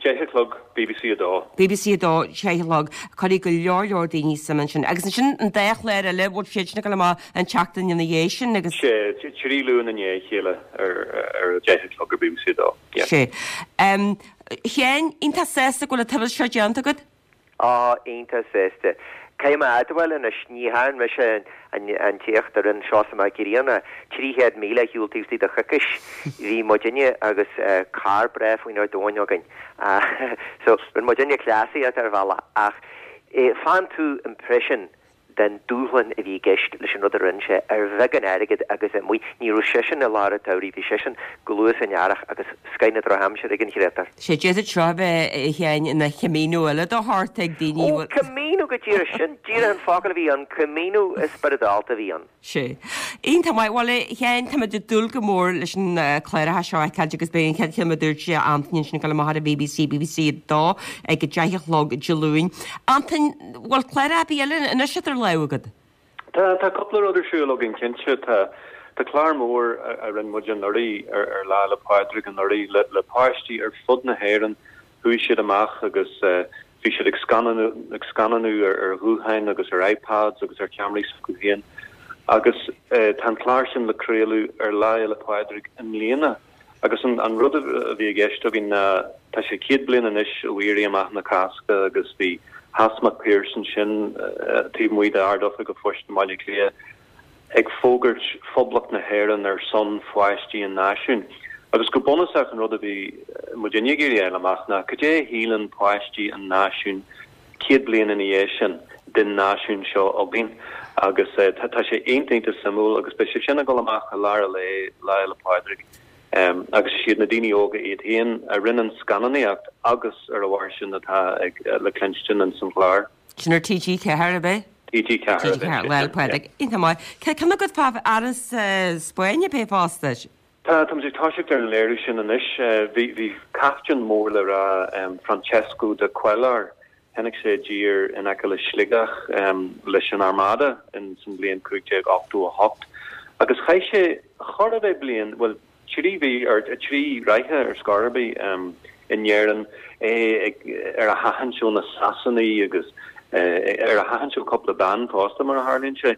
Deich a chlog, BBC a dó. BBC a dó, deich a chlog. Cuirfidh go leor leor daoine suim ansin. Agus ansin an dá chlár eile, bhfuil siad sin ag dul amach an tseachtain ina dhiaidh sin agus. Sé, trí Luan i ndiaidh a chéile ar ar a deich a chlog ar BBC a dó. Yeah. Sé. A Sheáin, iontach sásta go bhfuil an turas seo déanta agat? Á, iontach sásta. Caithfidh mé a admháil anois, ní dhearn mise an t-éacht a rinne Seosamh Mac Grianna, trí chéad míle a shiúl taobh istigh de choicís. Bhí muidinne agus carr breá faoinár dtóin againn. So, rinne muidinne cleasaíocht ar bhealach ach faigheann tú impression den dúshlán a bhí i gceist leis an rud a rinne sé ar bheagán airgid agus amuigh. Ní raibh seisean i lár an tsamhraidh, bhí seisean go luath san earrach agus scoith na drochaimsire ag an chréatúr. Sé, d'fhéadfadh seo a bheith, a Sheáin, ina Chamino eile de shórt ag daoine a Ó, bhfuil. Camino go díreach, sin díreach an focal a bhí ann, Camino spioradálta a bhí ann. Sé. Iontach maith. Bhuel, a Sheáin, táimid ag dúil go mór leis an cláracha seo a fheiceáilt agus beidh an chéad cheann a dúirt sé, Antain ansin ag dul amach ar an BBC, BBC a dó, ag a deich a chlog Dé Luain. Antain, bhfuil cláracha ar bith eile anois idir lámha agat? Tá, tá cúpla rud ar siúl againn cinnte. Tá, tá clár mór a, a rinne muid anuraidh ar, ar Lá 'le Pádraig anuraidh le, le páistí ar fud na hÉireann. Chuaigh siad amach agus eh, bhí siad ag scannánú, ag scannánú ar, ar ghutháin agus ar iPads agus ar cheamaraí s'acu féin. Agus eh, tá an clár sin le craoladh ar Lá 'le Pádraig i mbliana. Agus an, an rud a bhí i gceist againn ná tá sé céad bliain anois ó Éirí Amach na Cásca agus bhí Has Mac Piarais ansin taobh amuigh d'Ard-Oifig an Phoist i mBaile Átha Cliath ag fógairt Phoblacht na hÉireann ar son pháistí an náisiúin. Agus go bunúsach an rud a bhí muidinne ag iarraidh a fháil amach ná cad é a shíleann páistí an náisiúin céad bliain ina dhiaidh sin den náisiún seo againn. Agus tá tá sé iontach iontach suimiúil agus beidh sé sin ag dul amach i lár an lae Lá Fhéile Pádraig. Um, agus is iad na daoine óga iad féin a rinne an scannánaíocht agus ar a bharr sin atá ag le cluinstin in san chlár. Sin ar TG Ceathair ab é? TG Ceathair TG Ceathair, Lá 'le Pádraig. Iontach maith. Cé ceann agat fá Áras Spáinne pé fosta? Tá tá muid ag toiseacht ar an léiriú sin anois. Bhí bhí captaen mór le rá um, Francesco de Cuéllar. Tháinig sé i dtír in aice le Sligeach um, leis an Armada in san bhliain cúig déag ochtó a hocht. Agus chaith sé chóir a bheith bliain, bhuel trí mhí ar trí ráithe ar scor ar bith um, in Éirinn é ag, ar a thathant ó na Sasanaigh agus eh, ar a thathant ó cúpla bean fosta mar a tharlaíonn sé.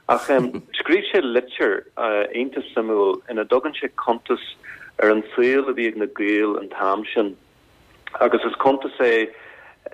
Ach um, scríobh sé litir uh, iontach suimiúil ina dtugann sé cuntas ar an saol a bhí ag na Gaeil an t-am sin. Agus is cuntas é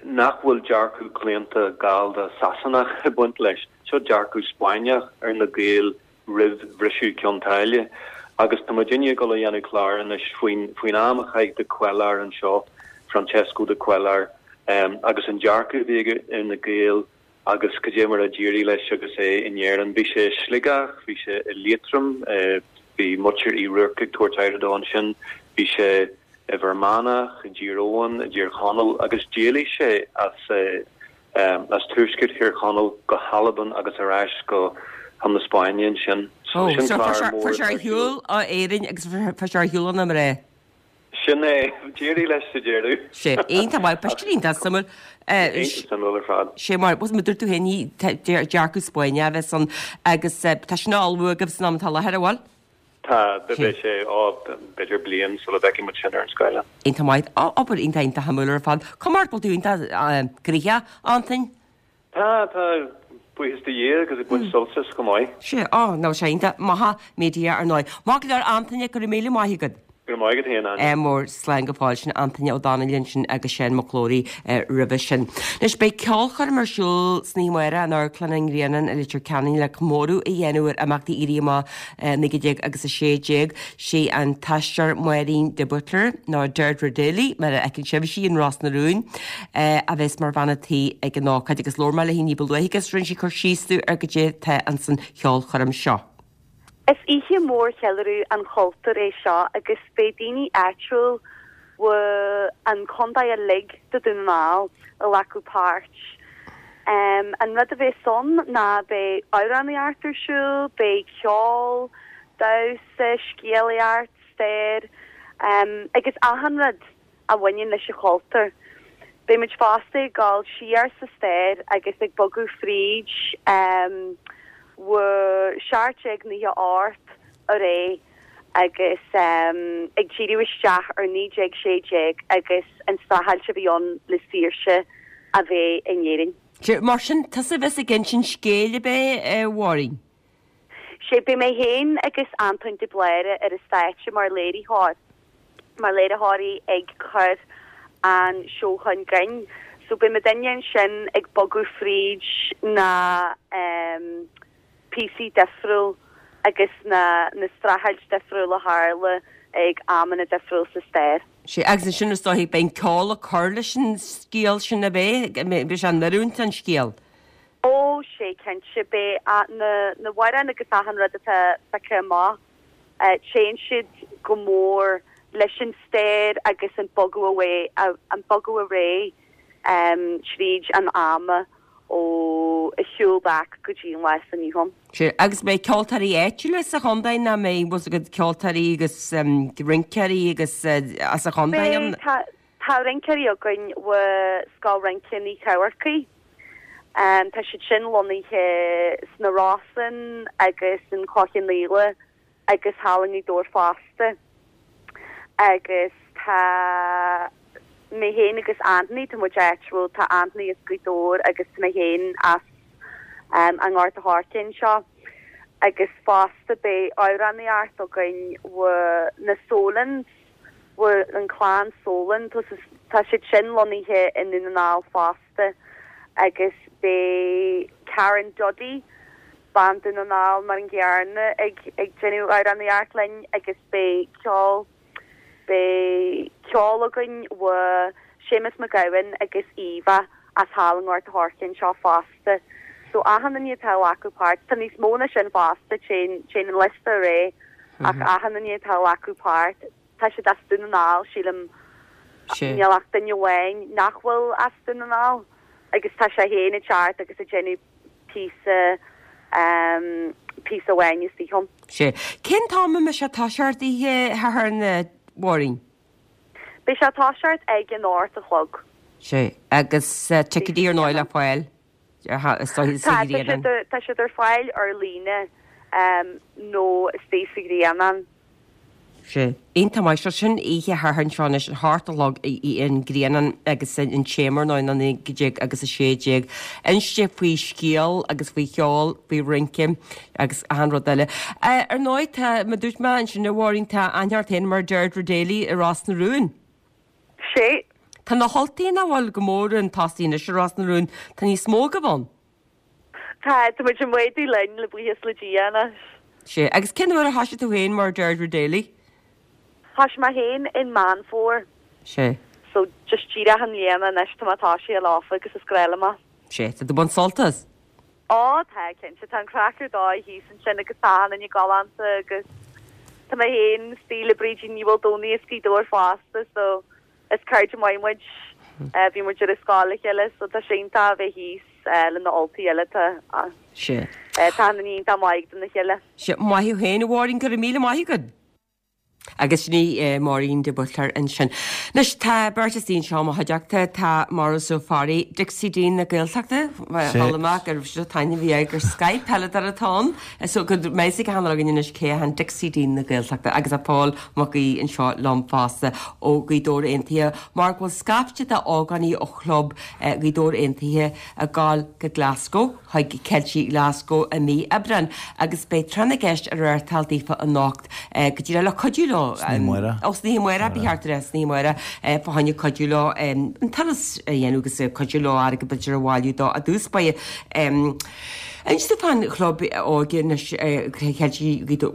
nach bhfuil dearcadh claonta Gallda Sasanach ag baint leis, seo dearcadh Spáinneach ar na Gaeil roimh bhriseadh Cionn tSáile. Agus tá muidinne ag dul a dhéanamh clár anois faoin faoin am a chaith de Cuéllar anseo, Francesco de Cuéllar, um, agus an dearcadh a bhí aige ar na Gaeil agus cad é mar a d'éirigh leis agus é in Éirinn. Bhí sé i Sligeach, bhí sé i Liatroim, eh, bhí muintir Uí Ruairc ag tabhairt aire dó ansin, bhí sé i bhFear Manach, i dTír Eoghain, i dTír Chonaill agus d'éalaigh sé as eh, um, as tuaisceart Thír Chonaill go hAlbain agus ar ais go chun na Spáinne ansin. Ó, Sin so clár fuair mór fuair sé ar ar siúl. shiúl ó Éirinn agus fuair sé ar shiúl ó na mná. Sin é, d'éirigh leis sa deireadh. Sé, iontach maith, beidh sin iontach suimiúil. Eh, Iontach suimiúil ar fad. Sé mar, was dúirt tú féin dearcadh Spáinne a bheith ann agus eh, tá sin á ullmhú agaibh san am atá i láthair, an bhfuil? Tá, beidh sé á b'fhéidir bliain sula bhfeicfidh muid sin ar an scáileán. Iontach maith, Á, obair iontach iontach shuimiúil ar fad. Cuma ort go bhfuil tú iontach eh, gnoitheach, Antain? Tá, tá, buíochas do Dhia agus ag baint sult as go maith. Sé, á, ná sé iontach maith media ar ndóigh. Maith go leor Antaine, go raibh míle maith agat. Go raibh maith agat féin, Áine. Eh, mór slán go fóill sin Antaine Ó Domhnaill ansin agus Seán Mac Labhraí eh, roimhe sin. Anois beidh ceolchoirm ar siúl san oíche amárach in Amharclann an Ghrianáin i Leitir Ceanainn le comóradh a dhéanamh ar imeachtaí Éirí Amach eh, naoi déag agus a sé déag. Sé an t-aisteoir Máirín de Buitléar nó Deirdre Daly mar a fheiceann sibh í in Ros na Rún eh, a bheas mar bhean an tí ag an ócáid agus labhair mé léi ní ba luaithe agus rinne sí cur síos dom ar goidé atá ansan cheolchoirm seo. Is oíche mór cheiliúradh an chultúir é seo agus beidh daoine áitiúil Bhí an contae uilig de Dún na nGall ag glacadh páirt. An rud a bheas ann ná beidh amhránaíocht ar siúl, beidh ceol, damhsa, scéalaíocht, stair agus achan rud a bhaineann leis an chultúr. Beidh muid fosta ag dul siar sa stair agus ag bogadh fríd bhur seacht déag nócha ocht ar aghaidh agus ag díriú isteach ar naoi déag sé déag agus an streachailt a bhí ann le saoirse a bheith in Éirinn. Sea, mar sin, tusa a bheas ag insint scéil ab é, a Mháirín? Sea, beidh mé féin agus Antóin de Bláire ar an stáitse mar léiritheoir, mar léiritheoirí ag cur an seó chun cinn. So beidh muidinne ansin ag bogadh fríd na píosaí difriúil agus na na streachailt difriúil a tharla ag amanna difriúil sa stair. Sea, agus ansin is dóigh beidh an ceol ag cur leis an scéal sin ab é? Beidh sé in oiriúint don scéal? Ó, sea, cinnte. Beidh na na hamhráin agus achan rud atá pioctha amach, téann siad go mór leis an stair agus an bogadh away, an bogadh ar aghaidh tríd an ama ó a shiúl back go dtí an lá atá inniu ann. Sea, agus beidh ceoltóirí áitiúla sa chontae nach mbeidh, bhfuil a fhios agat ceoltóirí agus rinceoirí agus as an chontae ann? Beidh, tá, tá rinceoirí againn ó Scoil Rince Ní Chomharcaigh. Tá siad sin lonnaithe sna Rosann agus an Clochán Liath agus thall i nGaoth Dobhair fosta. Agus tá mé féin agus Anthony, tá muid áitiúil, tá Anthony as Gaoth Dobhair agus tá mé féin as an nGort a' Choirce anseo. Agus fosta beidh amhránaíocht againn ó na Solans, ó an clann Solan, tá siad sin lonnaithe i nDún na nGall fosta agus beidh Karen Duddy, bean Dún na nGall mar an gcéanna ag ag déanamh amhránaíocht linn agus beidh ceol beidh ceol againn ó Séamus Mac Gabhann agus Eva as thall i nGort a' Choirce anseo fosta. So achan duine atá ag glacadh páirt, tá níos mó ná sin fosta, téann téann an liosta ar aghaidh ach achan duine atá ag glacadh páirt, tá siad as Dún na nGall, sílim, níl ach duine amháin nach bhfuil as Dún na nGall agus tá sé féin ag teacht agus ag déanamh píosa píosa amháin istigh ann. Sea. Cén t-am a mbeidh sé ag toiseacht oíche Shathairn a Mháirín? Beidh sé ag toiseacht ag an ocht a chlog. Sea. Agus ticéidí ar ndóigh le fáil is dóigh sa Ghrianán. Tá siad ar fáil ar líne nó istigh sa Ghrianán. Sea. Iontach maith. So sin oíche Shathairn seo anois, a hocht a chlog i an Grianán agus an téama ar ndóigh ná naoi déag agus a sé déag. Inste faoi scéal agus faoi cheol, faoi rince agus achan rud eile. Ar ndóigh tá, mar dúirt mé ansin a Mháirín, tá aithne ort féin mar Deirdre Daly i Ros na Rún. Sea. Tá na hUltaigh nach bhfuil go mór chun tosaigh anois i Ros na Rún, tá níos mó agaibh ann. Tá, tá muid ag méadú linn le buíochas le Dia anois. Sea, agus cén uair a thoisigh tú féin mar Deirdre Daly? Thoisigh mé féin in Meán Fómhair. Sea. So, just díreach i mbliana anois tá mé toisithe leofa agus is grá liom é. Sea, tá tú ag baint sult as? Ó, tá, cinnte, tá an craic ar dóigh thíos ansin agus tá achan duine galánta agus tá mé féin istigh le Brídín Ní Mhaoldomhnaigh as Gaoth Dobhair fosta so is cairde maith muid. Bhí muid ar an scoil le chéile so tá sé iontach a bheith thíos le na Ultaigh eile. Tá Sea. tá achan duine iontach maith dona chéile. Sea, maith thú féin a Mháirín, go raibh míle maith agat. Agus sin í Máirín de Buitléar ansin. Anois tá beirt istigh anseo i mo chuideachta, tá Maurice Ó Fearraigh, Dixie Dean na Gaeltachta, chuala mé go raibh sé taitneamh bhí air gur Skype peileadóir atá ann, so go mbeidh sé ag againn anois cé hé Dixie Dean na Gaeltachta agus tá Pól Mac Aoidh anseo liom fosta ó Ghaoth Dobhair Aontaithe mar go bhfuil scaifte de ógánaigh ó chlub Ghaoth Dobhair Aontaithe ag gabháil go Glasgow chuig Ceiltigh Glasgow i mí Aibreáin agus beidh tráth na gceist á reáchtáil daofa anocht go díreach le cuidiú leo. San oíche amárach. Ó san oíche amárach, ba cheart a rá, san oíche amárach fá choinne cuidiú leo an turas a dhéanamh agus cuidiú leo airgead b'fhéidir a bhailiú dó i dtús báire. Inis domh fán chlub óige anois Ceiltigh Ghaoth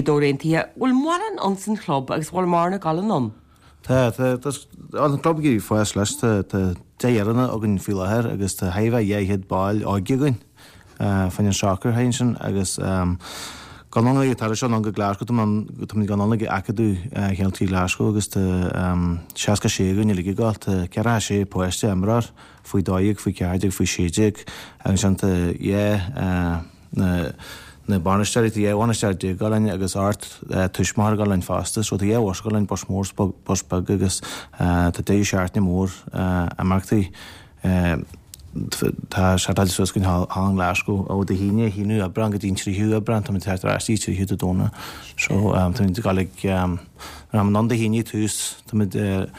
Dobhair Aontaithe. Bhfuil mórán ins an chlub agus bhfuil mórán ag dul anonn? Tá, tá, tá an club ag éirí fás leis, tá tá deich fhoireann againn faoi láthair agus tá thart fá dhá chéad ball óige againn fá choinne an sacar ansin agus Gabháil anonn ag an turas seo anonn go Glasgow, tá muid ag gabháil anonn ag Acadamh Cheiltigh Glasgow agus tá seasca sé againn uilig ag gabháil, tá ceathracha sé páiste imreoir faoi dó dhéag, faoi ceathair déag, faoi sé déag agus ansin tá dhá na na bainisteoirí, tá dhá bhainisteoir déag ag gabháil linn agus ocht tuismitheoir ag gabháil linn fosta so tá dhá bhus ag gabháil linn, bus mór 's bus beag agus tá deireadh seachtaine mór imeachtaí. Tá setáilte suas againn thall in Glasgow ó Dé hAoine, haonú Aibreán go dtí an tríú Aibreán, táimid ag teacht ar ais dtí tríú Dé Domhnaigh. So táimid ag dul ag, táimid ann Dé hAoine tús, táimid ag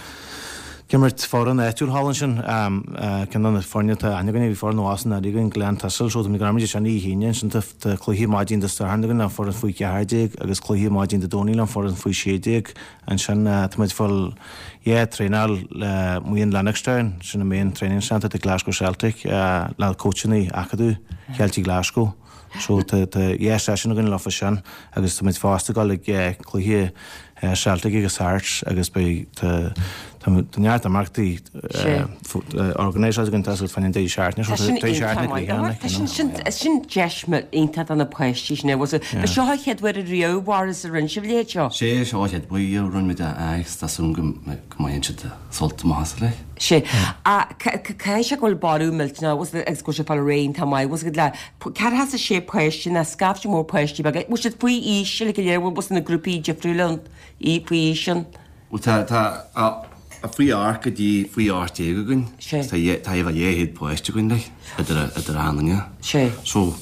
imirt foireann áitiúil thall ansin, ceann de na foirne atá aithne againn, bhí foireann ó Austin anuraidh againn, Glen Thistle, so táimid ag imirt ansin Dé hAoine, ansin tá cluiche maidin Dé Sathairn againn le foireann faoi ceathair déag agus cluiche maidin Dé Domhnaigh le foireann faoi sé déag. Ansin táimid ag fáil yeah traenáil le main Lennoxtown, sin an main training centre do Glasgow Celtic, le coachanna Acadamh Cheiltigh Glasgow. So tá tá yeah session againn leofa sin agus táimid fosta ag dul ag cluiche Celtic agus Hearts agus beidh tá tá neart imeachtaí organisáilte againn tá fá choinne an deireadh seachtaine so tá deireadh seachtaine gnoitheach Tá sin sin sin deis iontach do na páistí sin was it Ba seo an chéad uair riamh Mhaurice a rinne sibh a leithéid seo? Sé seo an chéad uair a rinne muid é agus tá súil agam go mbainfidh siad sult amach as like. Sé caithfidh sé go bhfuil borradh millteanach was it agus go bhfuil sé fáil réidh iontach maith was it le ceathracha is a sé páiste ná scaifte mór páistí beaga bhfuil siad faoi aois uilig go léir bhfuil na grúpaí difriúla faoi aois ann? Bhuel tá tá faoi ocht go dtí faoi ocht déag againn. Sé. Tá tá dhá chéad páiste againn like idir idir achan duine. Sé. So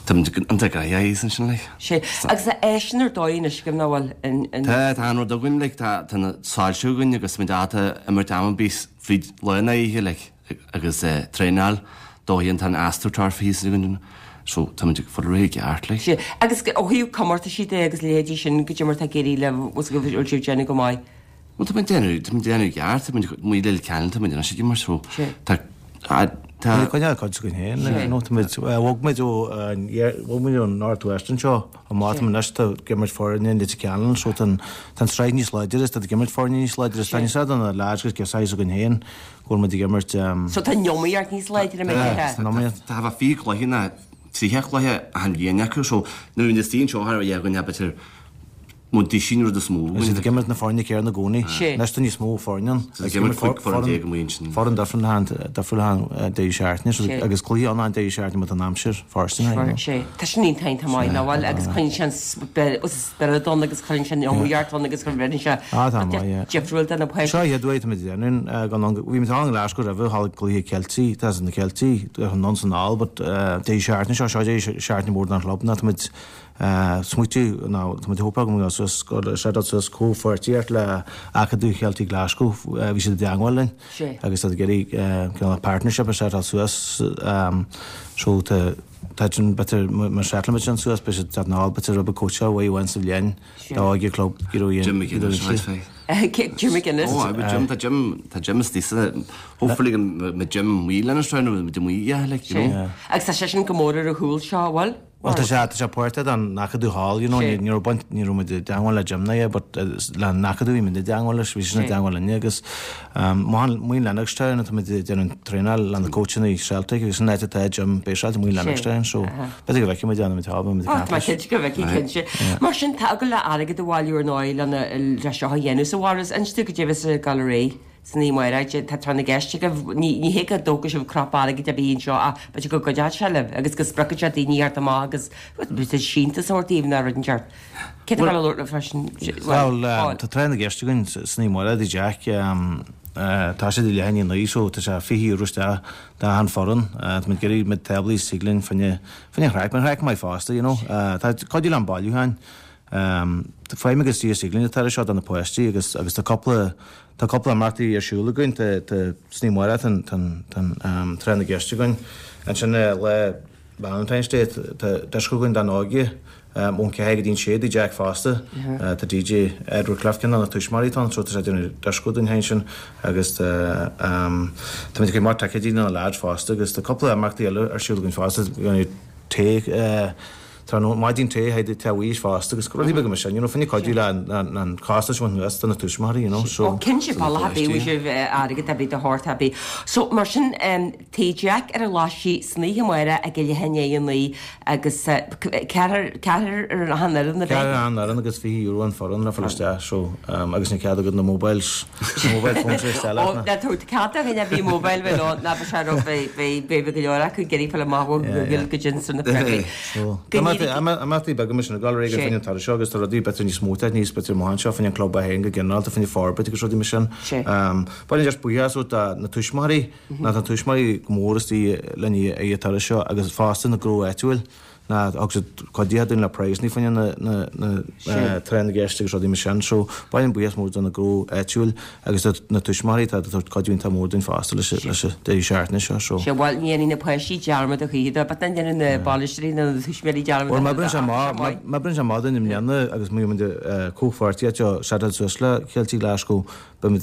táimid iontach gnoitheach ansin like. Sé. Agus tá áiseanna ar dóigh anois agaibh nach bhfuil in in. Tá tá an rud againn like tá tá na soilse againn agus táimid ábalta imirt am ar bith fríd lá nó oíche like agus traenáil dóigh tá an astroturf thíos againn so táimid ag fáil réidh i gceart like. Sé. Agus ó thaobh comórtaisí de agus leithéidí sin goidé mar atá ag éirí libh bhfuil bhfuil sibh ag déanamh go maith? Bhuel tá muid déanamh tá muid déanamh i gceart tá muid muid le ceann tá muid anois ag imirt so tá tá Tá coinneáil cuid againn féin like you know tá muid bhog muid ó bhog muid ón North West anseo amach tá muid anois tá ag imirt foirne in Leitir Ceanainn so tá an tá an tsraith níos láidre is tá ag imirt foirne níos láidre is tá níos do na lads agus girseachaí againn féin go bhfuil muid ag imirt So tá an iomaíocht níos láidre mar Tá an iomaíocht. Tá bheith fiche cluiche ná tríocha cluiche achan bhliain acu so nuair a bhíonn istigh anseo thar a bheith againn b'fhéidir Mo duisín rud is mó. Is iad ag imirt na foirne céanna i gcónaí. Anois tá níos mó foirne ann. Is ag imirt cúig foireann déag amuigh ansin. Foireann difriúil achan difriúil achan deireadh seachtaine agus cluiche ann achan deireadh seachtaine má tá an aimsir fóirsteanach. Sé. Tá sin iontach iontach maith nach bhfuil agus coinníonn sé an spiorad ann agus cuireann sé an iomaíocht ann agus cuireann sé Ah tá maith yeah. difriúil do na páistí. Seo an chéad uair táimid ag déanamh gan ann bhí muid ann i nGlasgow roimhe thall ag cluiche Ceiltigh tá na Ceiltigh anonn is anall but deireadh seachtaine seo seo deireadh seachtaine mór don chlub ná táimid Smaoitiú nó tá muid ag hope go mbeidh suas go set suas comhpháirtíocht le Acadamh Cheiltigh Glasgow bhí siad i dteangmháil linn agus tá ag iarraidh cineál partnership a setáil suas so tá tá sin b'fhéidir má setálann muid sin suas beidh siad teacht anall b'fhéidir rud beag cóitseáil uaidh amháin sa bhliain dá óige club you know Jim McGuinness I'd say. Jim McGuinness. Oh I Jim tá Jim tá Jim istigh sa hopefully go mbeidh Jim amuigh lena seo nó Jim amuigh yeah like you know. Agus tá sé sin go mór ar a chúl seo an bhfuil? Bhuel tá sé tá sé páirteach den Acadamh thall you know ní ní raibh baint ní raibh muid i dteangmháil le Jim ná é but le an Acadamh bhí muid i dteangmháil leis bhí seisean i dteangmháil linne agus amuigh in Lennoxtown atá muid ag déanamh traenáil le na coachanna Celtic agus an áit atá Jim based amuigh in Lennoxtown so b'fhéidir go bhfeicfidh muid é nuair atá muid ag caint leis. Tá mé cinnte go bhfeicfidh cinnte. Mar sin tá agaibh le airgead a bhailiú ar ndóigh lena le seo a dhéanamh so Mhaurice inis dúinn goidé a bheas ag dul ar aghaidh. San oíche amárach, tá tráth na gceist agaibh. Ní ní hé go dtógfaidh sibh crop airgid ar bith anseo ach b'fhéidir go gcuideoidh sé libh agus go spreagfaidh sé daoine thart amach agus b'fhéidir síntiús a thabhairt daoibh nó rud inteacht. Cé tá le labhairt libh freisin? Bhuel, tá tráth na gceist againn san oíche amárach i dTigh Jack. Tá sé ag leath i ndiaidh a naoi so tá sé fiche euro isteach d'achan foireann. Tá muid ag iarraidh méid táblaí is thig linn fá choinne fá choinne an chraic, mar chraic maith fosta, you know. Tá cuidiú le an bailiúchán. Faighim agus is thig linn atá seo do na páistí agus agus tá cúpla tá cúpla imeachtaí ar siúl againn tá tá san oíche amárach tá tá tá tráth na gceist againn ansin lá Valentine's Day tá dioscó againn don óige ón ceathair go dtí an sé i dTigh Jack fosta tá DJ Edward Cliff ceann de na tuismitheoirí atá ann so tá sé ag déanamh dioscó dúinn féin sin agus tá tá muid ag cur amach ticéidí do na lads fosta agus tá cúpla imeachtaí eile ar siúl againn fosta tae tráthnóna maidin tae thaid te bhaois fosta agus rudaí beaga mar sin, you know, fá choinne cuidiú le an costas a bhaint anuas do na tuismitheoirí, you know, so. Ó cinnte, bealach ar bith bhfuil sibh airgead ar bith do shórt ar bith. So mar sin Tigh Jack ar an Ghlaisigh san oíche amárach ag leath i ndiaidh a naoi agus ceathrar ceathrar ar an fhoireann a bheidh? Ceathrar ar an fhoireann agus fiche euro an foireann le fáil isteach so agus níl cead agat na mobiles, mobile phones a isteach leat Ó ná tabhair cead do dhuine ar bith mobile bheith leo ná beidh sé raibh beidh beidh go leor acu ag iarraidh fáil amach ó Google goidé sna freagraí. So imeachtaí beaga mar sin ag dul ar aghaidh fá choinne an turais seo agus tá rudaí b'fhéidir níos mó níos b'fhéidir amach anseo fá choinne an club é féin go ginearálta fá choinne forbairt agus rudaí mar sin. Baineann just buíochas ó do na tuismitheoirí ná tá tuismitheoirí go mór istigh linn ag an turas seo agus fosta na gnó áitiúil ná thug siad cuidithe dúinn le praghsanna fá choinne na na na tráth na gceist agus rudaí mar sin. So baineann buíochas mór do na gnó áitiúil agus do na tuismitheoirí atá ag tabhairt cuidiú iontach mór dúinn fosta leis leis an deireadh seachtaine seo. So. Sea, bhuel ní dhéanfaidh na páistí dearmad a choíche dó, but ní dhéanfaidh na bainisteoirí nó na tuismitheoirí dearmad Bhuel má oibríonn sé maith, má oibríonn sé maith dúinn i mbliana agus muid comhpháirtíocht seo setáil suas le Ceiltigh Glasgow, beimid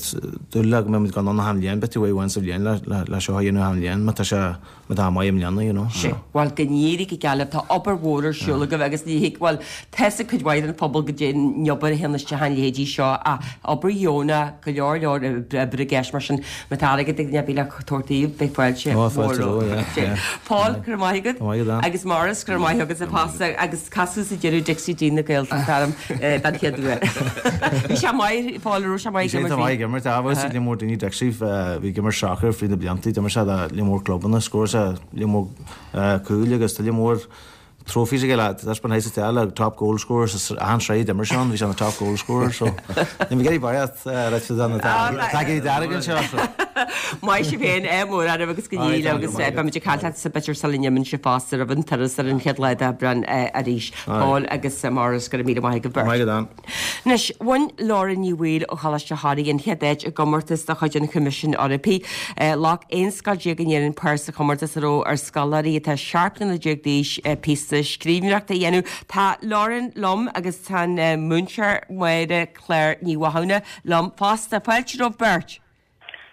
dúil le go mbeimid gan ann achan bhliain, b'fhéidir uair amháin sa bhliain le le seo a dhéanamh achan bhliain má tá sé má tá maith i mbliana, you know. Sea, bhuel go n-éirí go geal libh, tá obair mhór ar siúl agaibh agus ní thig, bhuel tá's ag cuid mhaith den phobal goidé an obair a théann isteach ina leithéidí seo ach obair dheonach, go leor leor oibre i gceist mar sin má tá airgead ag duine ar bith le tabhairt daoibh beidh fáilte Ó, mhór fáilte romhaibh, yeah, Sea. yeah. Paul, go raibh maith agat. Go raibh maith agat, Ann. Agus Maurice, go raibh maith agat fosta agus casadh sa deireadh Dixie D na Gaeltachta orm den chéad uair. Bhí sé maith, Paul, raibh sé maith Bhí sé ag imirt maith ag imirt, ah, bhuel, lear mór daoine Dixie, bhí ag imirt soccer fríd na blianta, d'imir sé do lear mór clubanna, scór sé lear mór cúil agus tá lear mór trophies aige le taispeáint sa teach le top goal scorer sa achan sraith d'imir sé ann, bhí sé ina top goal scorer so ní bheidh ag iarraidh barraíocht right na tacaí dearg anseo so. Maith sibh féin é mór oraibh agus go n-éirí agus beimid ag caint leat sa b'fhéidir sula n-imíonn sibh fosta roimh an turas ar an chéad lá d'Aibreán arís. Paul agus Maurice go raibh míle maith agaibh beirt. Maith agat Ann. Anois, bhain Lauren Ní Bhaoill ó Choláiste Thoraí an chéad áit i gcomórtas de chuid an Choimisiúin Eorpaigh. Ghlac aon scoil déag in Éirinn páirt sa chomórtas a raibh ar scoláirí atá seacht mbliana déag d'aois píosa scríbhneoireachta a dhéanamh. Tá Lauren liom agus tá an múinteoir Máire Claire Ní Mhathúna liom fosta. Fáilte romhaibh beirt.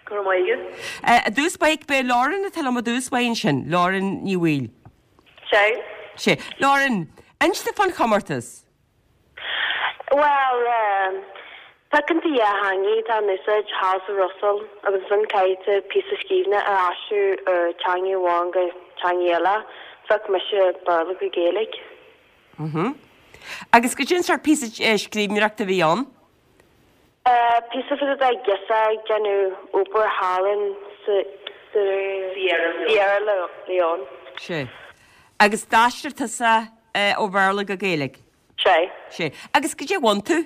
Go raibh maith agat. I dtús báire, b'é Lauren atá liom i dtús báire ansin, Lauren Ní Bhaoill. Sea. Sea. Lauren, inis domh fán chomórtas. Bhuel, piocann tú dhá theanga atá in úsáid thall sa Bhruiséil agus ansin caithfidh tú píosa scríbhne a aistriú ó teanga amháin go teanga eile. Phioc mise Béarla go Gaeilge. Mhm. Agus goidé an sórt píosa scríbhneoireachta a bhí ann? Píosa fá dtaobh de ghirseach ag déanamh obair thall in sa Sierra Leone. Sea. Agus d'aistrigh tusa ó Bhéarla go Gaeilge? Sea. Sea. Agus goidé a bhain tú?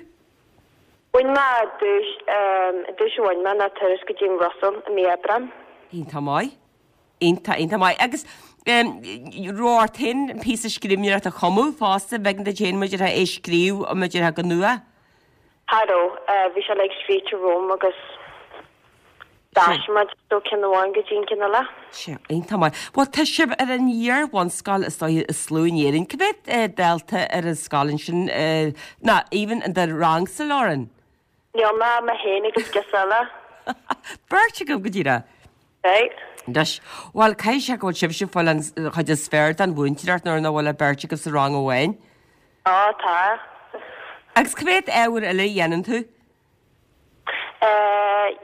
Bhain mé duais, an duais a bhain mé ná turas go dtí an Bhruiséil i mí Aibreán. Iontach maith. Iontach, iontach maith. Agus raibh ort féin an píosa scríbhneoireachta a chumadh fosta, b'éigean duit féin maidir é a scríobh maidir go nua? Cha raibh. Bhí sé like scríte romham agus d'aistrigh muid ó ceann amháin go dtí an ceann eile. Sea, iontach maith. Bhuel, tá sibh ar an iar-bhunscoil is dóiche is lú in Éirinn. Cá mhéad dalta ar an scoil ansin, ná even in do rangsa, Lauren? Níl mé, mé féin agus girseach eile. Beirt agaibh go díreach. Right. Anois, bhuel, caithfidh sé go bhfuil sibhse ag fáil an chuid is fearr den mhúinteoireacht nuair nach bhfuil ach beirt agaibh sa rang amháin. Á, tá. Agus cá mhéad ábhar eile a dhéanann tú?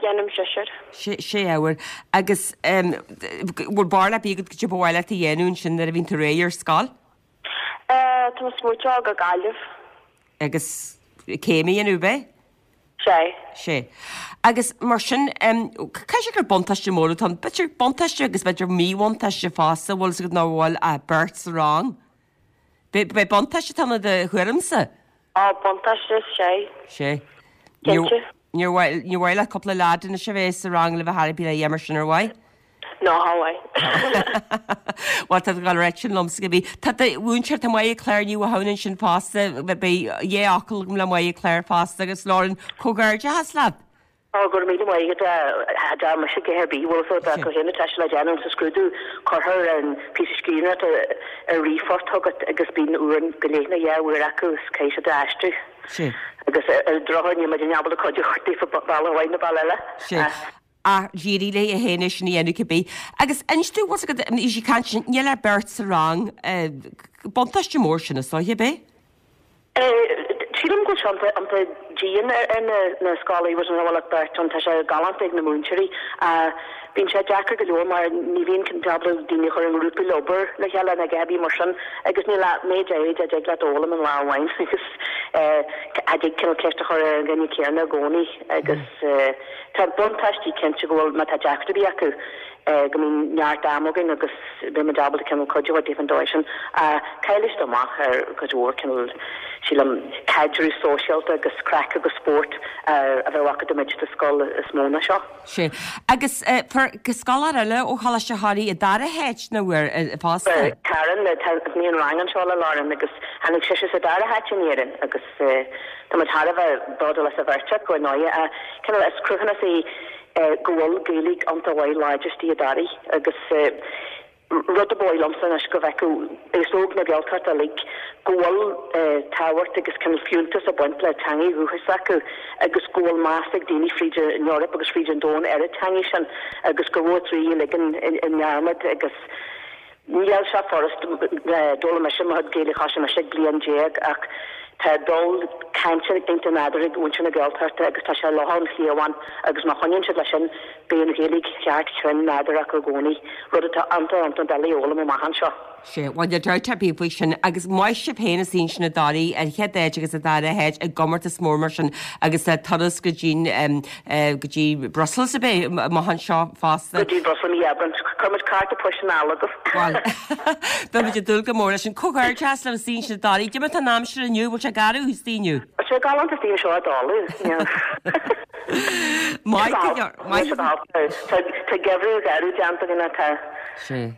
Déanaim seisear. Sé, sé ábhar. Agus bhfuil barúil ar bith agat goidé ba mhaith leat a dhéanamh ansin nuair a bhíonn tú réidh ar scoil? Tá mé ag smaoitiú dul go Gaillimh. Agus céim a dhéanamh, ab é? Sé. Sé. Agus mar sin, caithfidh sé gur buntáiste mór atá ann. B'fhéidir buntáiste agus b'fhéidir míbhuntáiste fosta, bhfuil fhios agat nach bhfuil ach beirt sa rang. B'é buntáiste atá ann i do thuairimse? Á, buntáiste, sé. Sé. Cinnte. Níor mhaith, níor mhaith leat cúpla leaid anois a bheith sa rang le bheith thar a bheith mar sin ar mhaith? Ná cha mhaith. Bhuel, tá tú ag dul a rá sin liomsa go bhí. Tá do mhúinteoir, tá Máire Claire Ní Mhathúna ansin fosta, beidh dhá fhocal agam le Máire Claire fosta agus Lauren, comhghairdeachas leat! Ó, go raibh míle maith agat, cha dtearn mise a dhath ar bith, bhfuil fhios agat, go haon atá sé le déanamh sa scrúdú, cuirtear an píosa scríbhneoireachta ar ríomhphost chugat agus bíonn uair go leith nó dhá uair acu is caithfidh siad a aistriú. Sea. Agus ar an drochuair níl muid ábalta cuidiú daofa bealach amháin nó bealach eile. Sea. Ach d'éirigh léi féin é sin a dhéanamh cibé. Agus inis domh, bhfuil fhios agat, bhí sí ag caint sin, níl ach beirt sa rang, buntáiste mór sin is dóiche, ab é? Sílim go bhfuil sé iontach iontach dian ar na scoláirí agus an bhfuil ach beirt ann, tá sé galánta ag na múinteoirí. Bíonn sé deacair go leor mar ní bhíonn tú ábalta daoine a chur i ngrúpaí le obair le chéile nó a dhath ar bith mar sin agus níl ach méid áirid a dtig leat a fhoghlaim in lá amháin agus cha dtig cineál ceist a chur ar an dhuine céanna i gcónaí agus tá buntáistí cinnte go bhfuil má tá deacracht ar bith acu go mbíonn neart ama againn agus beidh muid ábalta cineál cuidiú a thabhairt daofa an dóigh sin. Caillfidh siad amach ar chuid mhór cineál, sílim, caidreamh sóisialta agus craic agus spórt a bheadh acu dá mbeidís i scoil is mó ná seo. Sea. Agus fuair scoláire eile ó Choláiste Thoraí an dara háit nó bhfuair fosta? Karen, tá mé an rang anseo le Lauren agus tháinig sise sa dara háit in Éirinn agus tá muid thar a bheith bródúil as an bheirt acu ar ndóigh. Cineál is cruthúnas é go bhfuil Gaeilge iontach mhaith láidir istigh i dToraigh agus rud ab áil liomsa anois go bhfeicfeadh aos óg na Gaeltachta uilig go bhfuil tábhacht agus cineál fiúntas ag baint le teangaidh dhúchais s'acu agus go bhfuil meas ag daoine fríd an Eoraip agus fríd an domhan ar an teangaidh sin agus go raibh Toraigh ligthe i ndearmad agus Níl sé furast, d'fhoghlaim mise mo chuid Gaeilge thosaigh mise ag bliain déag ach tá dul cainte iontach nádúrtha ag muintir na Gaeltachta agus tá sé luch ón chliabhán agus má choinníonn siad leis sin beidh an Ghaeilge cheart chruinn nádúrtha acu i gcónaí, rud atá iontach iontach doiligh a fhoghlaim amach anseo. Sea, bhuel níl dabht ar bith faoi sin agus maith sibh féin as ansin i dToraigh an chéad áit agus an dara háit i gcomórtas mór mar sin agus turas go dtí go dtí Brussels ab é amach anseo fosta. Go dtí Brussels i mí Aibreáin. Chuir muid cárta poist anall agaibh. Bhuel, beidh muid ag dúil go mór leis sin. Comhghairdeas libh as ansin i dToraigh. Cad é mar atá an aimsir inniu, bhfuil sé garbh istigh inniu? Tá sé galánta istigh anseo i dtólamh. Maith go leor, maith. Tá geimhreadh garbh déanta againn tá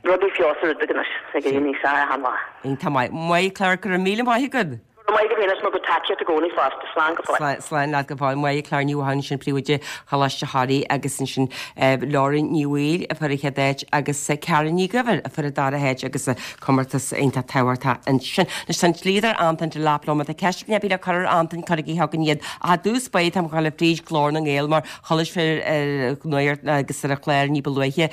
rudaí feabhas ar rudaí anois ag éirí níos fearr achan lá. Iontach maith. Maith Claire, go raibh míle maith agat. Go raibh maith agat féin as bhur gcuid tacaíocht i gcónaí fosta. Slán go fóill. Slán leat go fóill. Maith Claire Ní Mhatháin ansin príomhoide Choláiste Thoraí agus ansin Lauren Ní Bhaoill a fuair an chéad áit agus Karen Ní Dhuibhir a fuair an dara háit agus comórtas iontach tábhachtach ansin. Anois tá an dlíodóir Antain Delap liom. Má tá ceist ar bith le cur ar Antain cuirigí chugainn iad. Ach i dtús báire táim ag dul fríd Glór na nGael mar chuala sibh ar an nuacht agus ar an chlár ní ba luaithe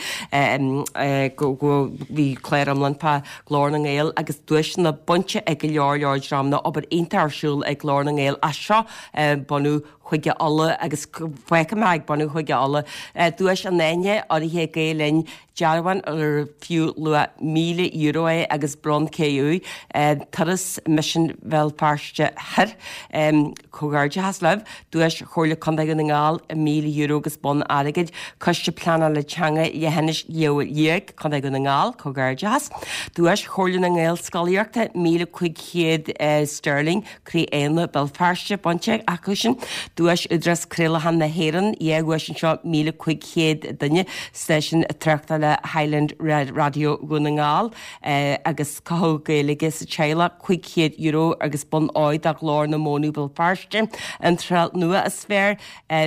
go bhí clár iomlán fá Glór na nGael agus duaiseanna bainte ag go leor leor dreamanna, obair iontach ar siúl ag Glór na nGael as seo bunú Chúige Uladh agus fágfaidh mé ag bunú Chúige Uladh. Duais an Aithne urraithe ag Gael Linn, dearbhán ar fiú luach míle euro é agus bonn cré-umha, turas Misean Bhéal Feirste Thoir. Comhghairdeachas libh. Duais Chomhairle Contae Dhún na nGall, míle euro agus bonn airgid. Coiste Pleanála Teanga Leithinis Leabha Liag, Contae Dhún na nGall, comhghairdeachas. Duais Chomhairle na nGaelscolaíochta, míle cúig chéad sterling, Croí Éanna, Béal Feirste, bainte acu sin. Duais Údarás Craolacháin na hÉireann, dhá dhuais anseo, míle cúig chéad duine, stáisiún tráchtála Highland Raidió Dhún na nGall agus Cothú Gaeilge sa Teaghlach, cúig chéad euro agus bonn óir do Ghlór na Móna Béal Feirste, Iontráil Nua is Fearr,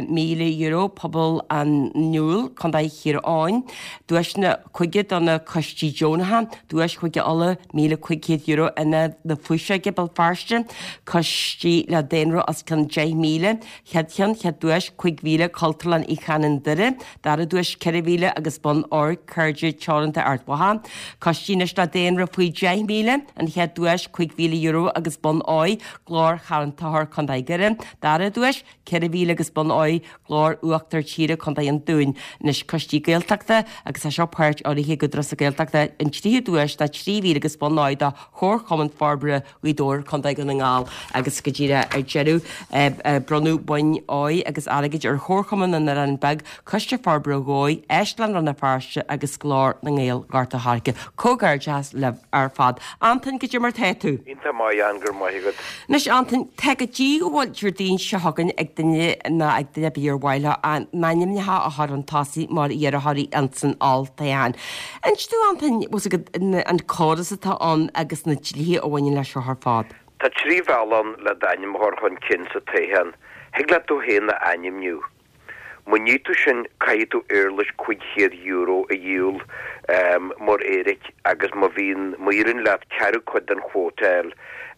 míle euro, Pobal an Iúil, Contae Thír Eoghain, Duaiseanna Cúige do na Coistí Deonacha, Duais Chúige Uladh, míle cúig chéad euro, Ionad na Fuiseoige, Béal Feirste, Coistí le daonra os cionn deich míle, chéad cheann, chéad duais, cúig mhíle, Cultúrlann Uí Chanainn Doire, dara duais, ceithre mhíle agus bonn óir, Cairde Teoranta Ard Mhacha, Coistí anois le daonra faoi deich míle, an chéad duais, cúig mhíle euro agus bonn óir, Glór Charn Tóchair, Contae Dhoire, dara duais, ceithre mhíle agus bonn óir, Glór Uachtar Tíre, Contae an Dúin. Anois coistí Gaeltachta agus tá seo páirt urraithe ag Údarás na Gaeltachta, an tríú duais ná trí mhíle agus bonn óir do Chomharchumann Forbartha Ghaoth Dobhair, Contae Dhún na nGall agus go díreach ar deireadh bronnadh boinn óir agus airgid ar Chomharchumann na nOileán Beag, Coiste Forbartha Dhomhaigh, Áislann Rann na Feirste agus Glór na nGael Ghort a' Choirce. Comhghairdeachas libh ar fad. Antain, cad é mar tá tú? Iontach maith, Ann, go raibh maith agat. Anois, Antain, tá go dtí go bhfuil Déardaoin seo chugainn ag duine ná ag duine ar bith ar mhaith leo a n-ainmneacha a chur chun tosaigh mar iarrthóirí ins an olltoghchán. Inis domh, Antain, bhfuil 's agat an córas atá ann agus na dlíthe a bhaineann leis seo ar fad. Tá trí bhealach ann le d'ainm a chur chun cinn sa toghchán. Thig leat tú féin a ainmniú. Má ní tú sin caithfidh tú éarlais cúig chéad euro a dhíol mar éiric agus má bhíonn, má éiríonn leat ceathrú cuid den chuóta a fháil,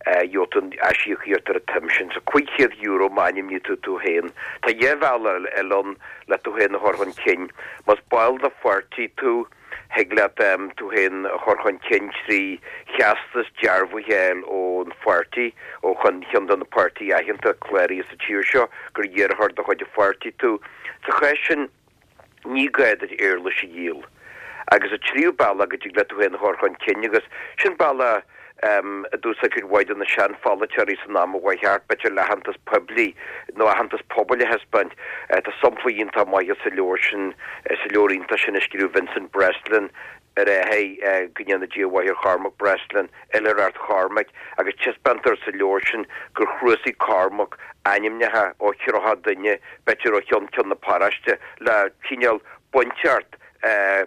gheobhaidh tú an aisíocaíocht ar an tsuim sin. So cúig chéad euro má ainmníonn tú tú féin. Tá dhá bhealach eile ann le tú féin a chur chun cinn. Más ball de pháirtí tú, thig leat tú féin a chur chun cinn trí theastas dearbhaithe a fháil ón pháirtí, ó cheann de na páirtithe aitheanta cláraithe sa tír seo, gur iarrthóir de chuid an pháirtí tú. Sa chás sin, ní gá duit éarlais a dhíol. Agus an tríú bealach go dtig leat tú féin a chur chun cinn, agus sin bealach a d'úsáid cuid mhaith de na seanpholaiteoirí san am a chuaigh thart, b'fhéidir le haitheantas poiblí nó aitheantas pobail a thaispeáint. Tá sampla iontach maith sa leabhar sin, sa leabhar iontach sin a scríobh Vincent Breslin ar a athair, go ndéana Dia a mhaith ar Chormac Breslin, Oilithreacht Chormaic, agus taispeántar sa leabhar sin gur chnuasaigh Cormac ainmneacha ó thríocha duine, b'fhéidir ó cheann ceann na paróiste, le cineál bainteacht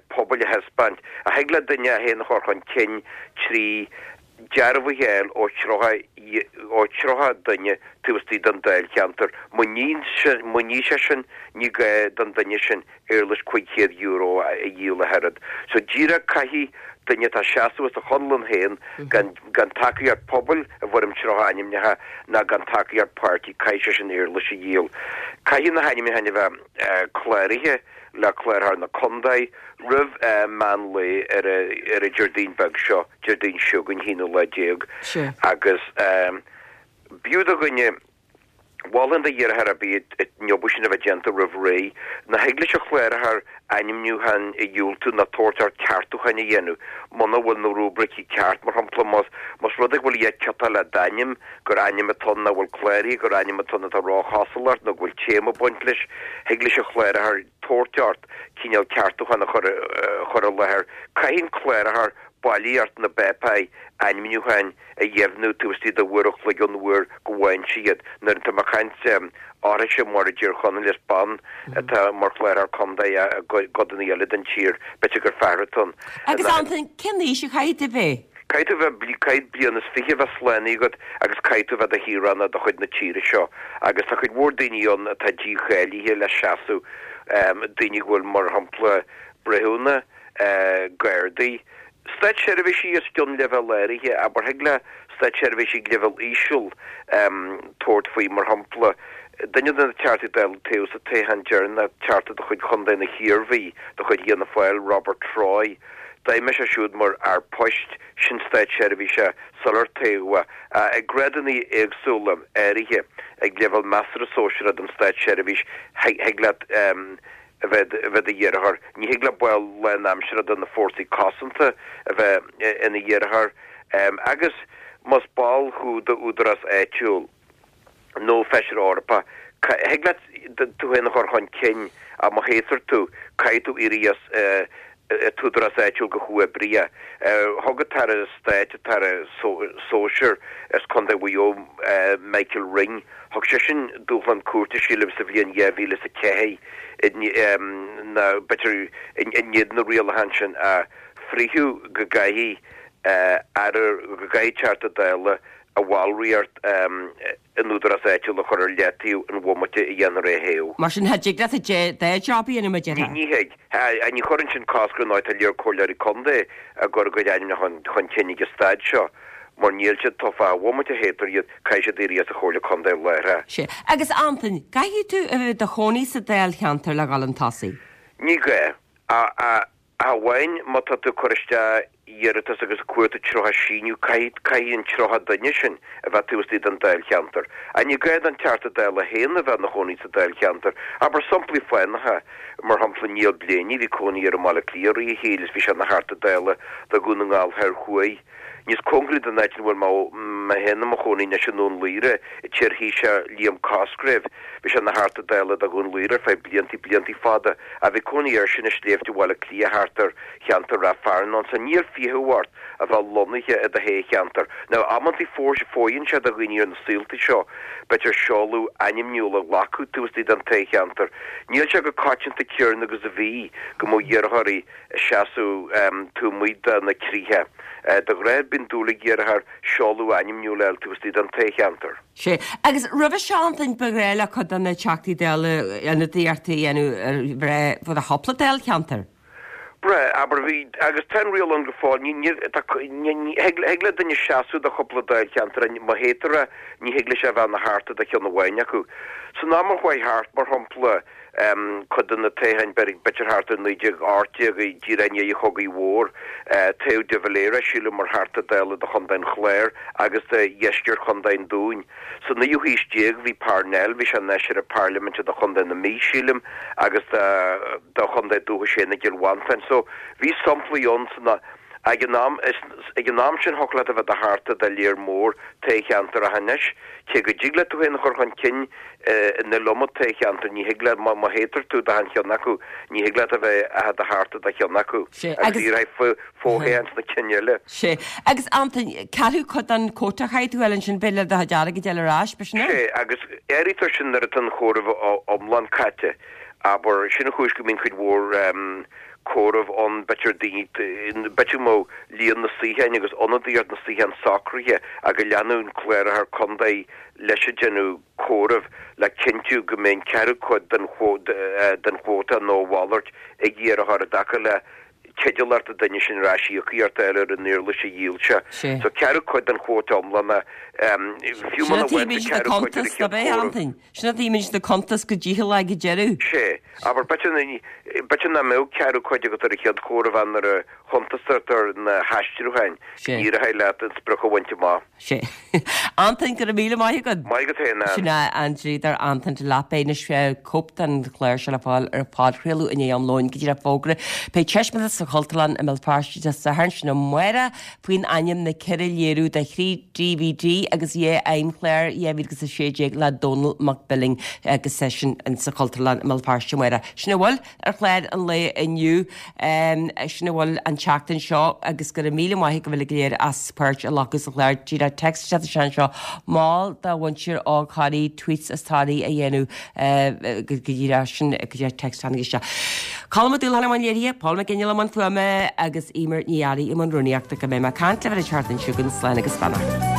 pobail a thaispeáint. Ach thig le duine é féin a chur chun cinn trí dearbhuithe a fháil ó thríocha ó thríocha duine taobh istigh den dáilcheantar. Má ní sé sin, ní gá don duine sin éarlais cúig chéad euro a dhíol ach oiread. So díreach caithfidh duine atá ag seasamh as a chonlán féin gan gan tacaíocht pobail i bhfoirm tríocha ainmneacha ná gan tacaíocht páirtí, caithfidh sé sin éarlais a dhíol. Caithfidh na hainmneacha a bheith cláraithe le Cláraitheoir na Contae roimh meán lae ar ar an Déardaoin beag seo, Déardaoin seo chugainn, haonú lá déag, agus b'fhiú do dhuine, mholfainn do iarrthóir ar bith an obair sin a bheith déanta roimh ré. Ná thig leis an Chláraitheoir ainmniúchán a dhiúltú ná tabhairt air ceartúcháin a dhéanamh muna bhfuil na rúibricí ceart, mar shampla más más rud é go bhfuil a dhath ciotaithe le d'ainm, gur ainm atá ann nach bhfuil cláraithe, gur ainm atá ann atá róchosúil ort nó go bhfuil téama ag baint leis, thig leis an Chláraitheoir tabhairt ort cineál ceartúchán a chur chur i láthair. Caithfidh an Cláraitheoir bailíocht na bpáipéar ainmniúcháin a dheimhniú taobh istigh de uair a chloig ón uair go bhfaigheann sé iad. Nuair atá mé ag caint orthuise mar i dTír Chonaill is bean atá mar Chláraitheoir Contae i gcodanna eile den tír, b'fhéidir gur fear atá ann. Agus Antain, cén aois a chaithfidh tú bheith? Caithfidh tú a bheith, caithfidh bliain is fiche a bheith slánaithe agat agus caithfidh tú a bheith i do shaoránach de chuid na tíre seo. Agus tá cuid mhór daoine ann atá dícháilithe le seasamh, daoine go bhfuil, mar shampla, breithiúna, gardaí, státseirbhísigh os cionn leibhéal áirithe, abair, thig le státseirbhísigh ag leibhéal íseal tabhairt faoi, mar shampla, duine de na Teachtaí Dála a toghadh sa toghchán deireanach, Teachta de chuid Chontae na hIarmhí, de chuid Fhianna Fáil, Robert Troy, d'fheidhmigh sé siúd mar fhear poist, sin státseirbhíseach sular toghadh é, ag grádanna éagsúla áirithe, ag leibhéal measartha sóisearach den státseirbhís, thig leat a bheith i do iarrthóir. Ní thig le ball lánaimseartha de na fórsaí cosanta a bheith ina iarrthóir agus más ball thú d'údarás áitiúil nó feisire Eorpach, thig leat tú féin a chur chun cinn ach má thoghtar tú, caithfidh tú éirí as an t-údarás áitiúil go huathoibríoch. Thug an tAire Stáit, an tAire Sóisir as Contae Mhaigh Eo, Michael Ring, thug seisean dúshlán cúirte, sílim, sa bhliain dhá mhíle is a ceathair nó b'fhéidir in éadan na rialachán sin a frítheadh go gcaithfidh aire, go gcaithfidh Teachta Dála a bhallraíocht in údarás áitiúil a chur ar leataobh an bhomaite a dhéanfar é a thoghadh. Mar sin, cha dtig leat dhá job a dhéanamh, a déarfá? Ní thig. Ní chuireann sin cosc ar ndóigh, tá lear comhairleoirí contae ag cur a gcuid ainmneacha chun cinn ag an staid seo, mar níl siad tofa. An bhomaite a thoghtar iad, caithfidh siad éirí as an chomhairle contae láithreach. Sea. Agus Antain, caithfidh tú a bheith i do chónaí sa dáilcheantar le dhul chun tosaigh? Ní gá. Ach amháin má tá tú ag cur isteach iarratas agus ag cuartú tríocha síniú, caithfidh, caithfidh an tríocha duine sin a bheith taobh istigh den dáilcheantar. Ach ní gá don Teachta Dála féin a bheith ina chónaí sa dáilcheantar. Abair samplaí fánacha, mar shampla Niall Blaney, bhí cónaí air i mBaile Átha Cliath i rith a shaoil is bhí sé ina Theachta Dála do Dhún na nGall Thoir Thuaidh. Níos cóngaraí don áit ina bhfuil mé féin i mo chónaí anois i nDún Laoghaire, an t-iarThaoiseach Liam Cosgrave, bhí sé ina Theachta Dála do Dhún Laoghaire ar feadh bliantaí, bliantaí fada, ach bhí cónaí airsean i sléibhte Bhaile Átha Cliath thart ar cheantar Ráth Fearnáin, so níl fiche ort a bheith lonnaithe i do thoghcheantar. Now, amantaí fóireann sé do dhaoine ar na saolta seo, b'fhéidir seoladh ainmniúil a ghlacadh taobh istigh den toghcheantar. Níl sé chomh coitianta céanna agus a bhí go mbeadh iarrthóirí ag seasamh taobh amuigh de na críche. De ghnáth bíonn dúil ag iarrthóir seoladh ainmniúil a fháil taobh istigh den toghcheantar. Sea. Agus roimhe seo, Antain, ba ghnách le cuid de na Teachtaí Dála ionadaíocht a dhéanamh ar bhreith fud a chúpla dáilcheantar. Breá, abair, bhí, agus tá an riail ann go fóill, ní, ní, tá, ní, ní, thig, thig le duine seasamh do chúpla dáilcheantar, má thoghtar é, ní thig leis a bheith ina theachta do cheann amháin acu. San am a chuaigh thart, mar shampla, em, cuid de na toghcháin, b'fhéidir thart ar naoi déag ocht déag, díreach i ndiaidh an Chogaidh Mhóir, eh, toghadh de Valera, sílim, mar Theachta Dála do Chontae an Chláir agus do dheisceart Chontae an Dúin. Sa naoú haois déag bhí Parnell, bhí sé ina fheisire parlaiminte do Chontae na Mí, sílim, agus do chontae dúchais féin i gCill Mhantáin. So, bhí samplaí ann san ag an am, ag an am sin thiocfadh leat a bheith i do theachta do léar mór toghcheantar ach anois, cé go dtig leat tú féin a chur chun cinn in iliomad toghcheantar, ní thig leat, má thoghtar tú d'achan cheann acu, ní thig leat a bheith i do theachta do cheann acu agus iarrfaidh fo-thoghchán sna cinn eile. Sea. Agus Antain, ceathrú cuid den quota a chaithfidh tú a fháil ansin, b'fhéidir le do chuid airgid a fháil ar ais, b'shin é? Sea, agus áirítear sin nuair atá an comhaireamh iomlán caite. Abair, sin an chúis go mbíonn cuid mhór comhaireamh ann, b'fhéidir daoine, b'fhéidir go mbeadh líon na suíocháin agus ionadaíocht na suíochán socraithe ach go leanadh an cláraitheoir contae leis ag déanamh comhaireamh le cinntiú go mbeidh an ceathrú cuid den den chuóta nó a mhalairt ag iarrthóir i dtaca le teidealacht an duine sin ar ais íocaíocht a fháil ar an éarlais a dhíol sé. So ceathrú cuid den chuóta iomlán, fiú Sin muna a bhfaigheann tú tchímid na ceathrú cuid ar cuntais, an chéad ab é, chomhaireamh. Antain? Sin a tchímid na cuntais go dícheallach ag an deireadh. Sea. Abair, b'fhéidir b'fhéidir nach mbeadh ceathrú cuid agat ar an chéad chomhaireamh nuair a chuntasaítear na haistriúcháin, Sea. ní éireoidh leat an sprioc a bhaint amach. Sea. Antain, go raibh míle maith agat. Maith agat féin, Ann. Sin é an dlíodóir Antain Delap. Beidh anois cóip den chlár seo le fáil ar phodchraoladh i ndiaidh am lóin go díreach fógra. Beidh taispeántas sa Chultúrlann i mBéal Feirste Dé Sathairn sin amárach faoin ainm na ceithre léiriú de thrí DVD agus dhá fheidhmchlár dhá mhíle agus a sé déag le Dónall Mac Billing agus é sin sa Chultúrlann i mBéal Feirste amárach. Sin a bhfuil ar chlár an lae inniu. Sin a bhfuil an tseachtain seo agus go raibh míle maith agaibh uilig go léir as páirt a ghlacadh sa chlár. Díreach text isteach anseo mol do mhuintir óg Thoraí tweets as Toraí a dhéanamh go díreach sin go díreach text tháinig isteach. Colm Ó Dúlacháin i mbun léirithe, Paul McGinley i mbun fuaime agus Emer Ní Fhearraigh i mbun rúnaíochta go mbeidh mé ag caint libh an tseachtain seo chugainn slán agus beannacht.